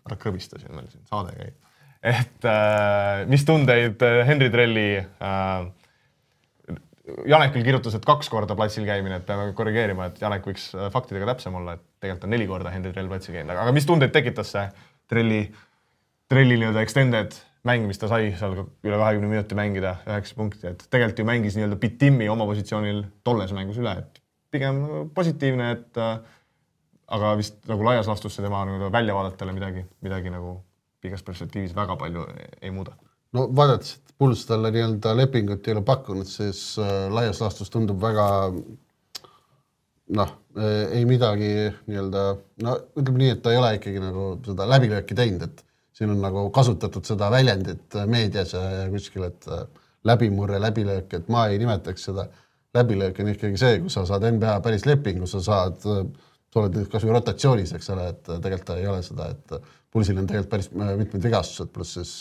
ära krõbistasin, meil siin saade käib, et mis tundeid Henri Trelli Janek küll kirjutas, et 2 korda platsil käimine, et peame korrigeerima, et Janek võiks faktidega täpsem olla, et tegelikult on 4 korda Henri Trell platsil käinud. Aga mis tundeid tekitas see Trelli nii-öelda extended mäng, mis ta sai seal üle 20 minuti mängida 9 punkti, et tegelikult ju mängis nii-öelda Bitimi oma positsioonil tolles mängus üle, et pigem positiivne, et aga vist nagu laias laastus see tema nagu väljavaadatele midagi nagu pikas perspektiivis väga palju ei muuda. No vaadates, et Puls talle nii-öelda lepingut ei ole pakkunud, siis laias laastus tundub väga ei midagi nii-öelda, ütleme nii, et ta ei ole ikkagi nagu seda läbilööki teinud, et siin on nagu kasutatud seda väljendit meedias ja kuskil, et läbimurre, läbilöök, et ma ei nimetaks seda. Läbilöök on ikkagi see, kui sa saad NBA päris lepingu, sa oled kas või rotatsioonis, eks ole, et tegelikult ta ei ole seda, et Pulsil on tegelikult päris mitmed vigastused, pluss siis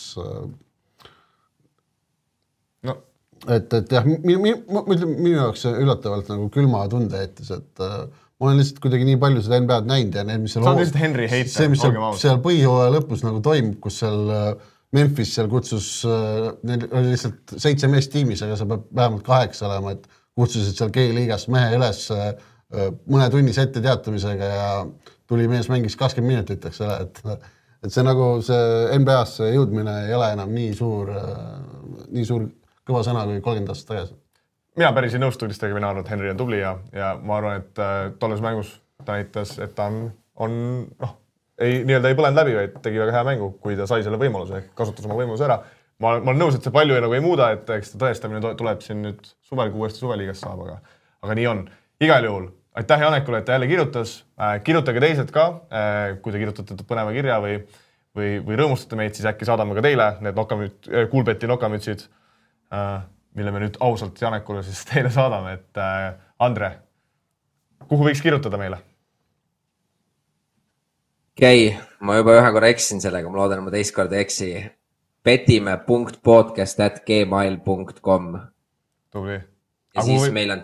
et jah, minu jaoks üllatavalt nagu külma tunde jättis, et ma olen lihtsalt kuidagi nii palju seda NBA-d näinud ja need, mis seal on lihtsalt Henry heite. See, mis seal põhjooaja lõpus nagu toimub, kus seal Memphis seal kutsus, neil oli lihtsalt 7 meest tiimis, aga sa peab vähemalt 8 olema, et kutsusid seal G-liigast mehe üles mõne tunnis ette teatamisega ja tuli mees mängis 20 minutit, eks ole, et see nagu see NBA-sse jõudmine ei ole enam nii suur kõva sõna kui 30 aastat tagasi. Mina päris ei nõustu üldistega, mina arvan, et Henry on tubli ja ma arvan, et tolles mängus ta näitas, et ta nii-öelda ei põlenud läbi, vaid tegi väga hea mängu, kui ta sai selle võimaluse, ehk kasutas oma võimaluse ära. Ma olen nõus, et see palju nagu ei muuda, et eks ta tõestamine tuleb siin nüüd suvel, kui uuesti suveliigas saab, aga nii on. Igal juhul, aitäh Janekule, et ta jälle kirjutas. Kirjutage teised ka, kui te kirjutate põneva kirja või rõõmustate meid, siis äkki saadame ka teile need Kuulbeti nokamütsid, mille me nüüd ausalt Janekule siis teile saadame, et Andre, kuhu võiks kirjutada meile? Ma juba ühe korra eksin sellega, ma loodan, et ma teist korda eksi. petime.podcast@gmail.com Tubli. Ja siis meil on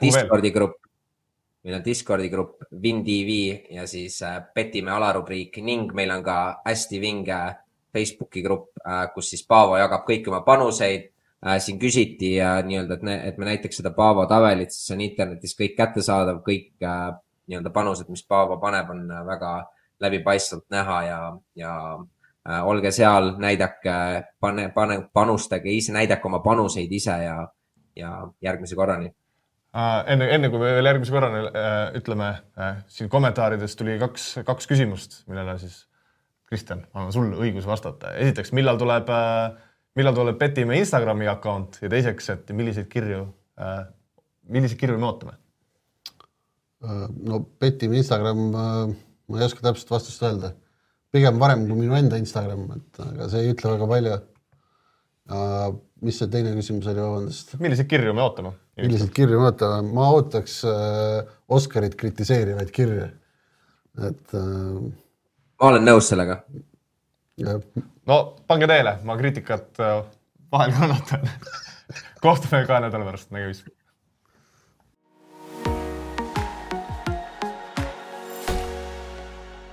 Discordi grupp WinTV ja siis Petime alarubriik ning meil on ka hästi vinge Facebooki grupp, kus siis Paavo jagab kõik oma panuseid. Siin küsiti nii-öelda, et me näiteks seda Paavo tabelit, siis on internetis kõik kättesaadav, kõik nii-öelda panused, mis Paavo paneb, on väga läbipaistvalt näha ja olge seal, panustage ise, näidake oma panuseid ise ja järgmise korrani. Enne kui me veel järgmise korrani ütleme, siin kommentaarides tuli kaks küsimust, millele siis Kristjan, annan sul õigus vastata. Esiteks, millal tuleb Petime Instagrami account ja teiseks, et milliseid kirju me ootame? No Petime Instagram, ma ei oska täpselt vastust öelda. Pigem varem kui minu enda Instagram, aga see ei ütle väga palju. Mis see teine küsimus oli vabandust? Milliseid kirju me ootame? Milliseid kirju me ootame? Ma ootaks Oskarit kritiseerivaid kirju. Ma olen nõus sellega. No, pange teele, ma kriitikat vahel kannatan. Kohtume 2 nädala pärast, nägemist.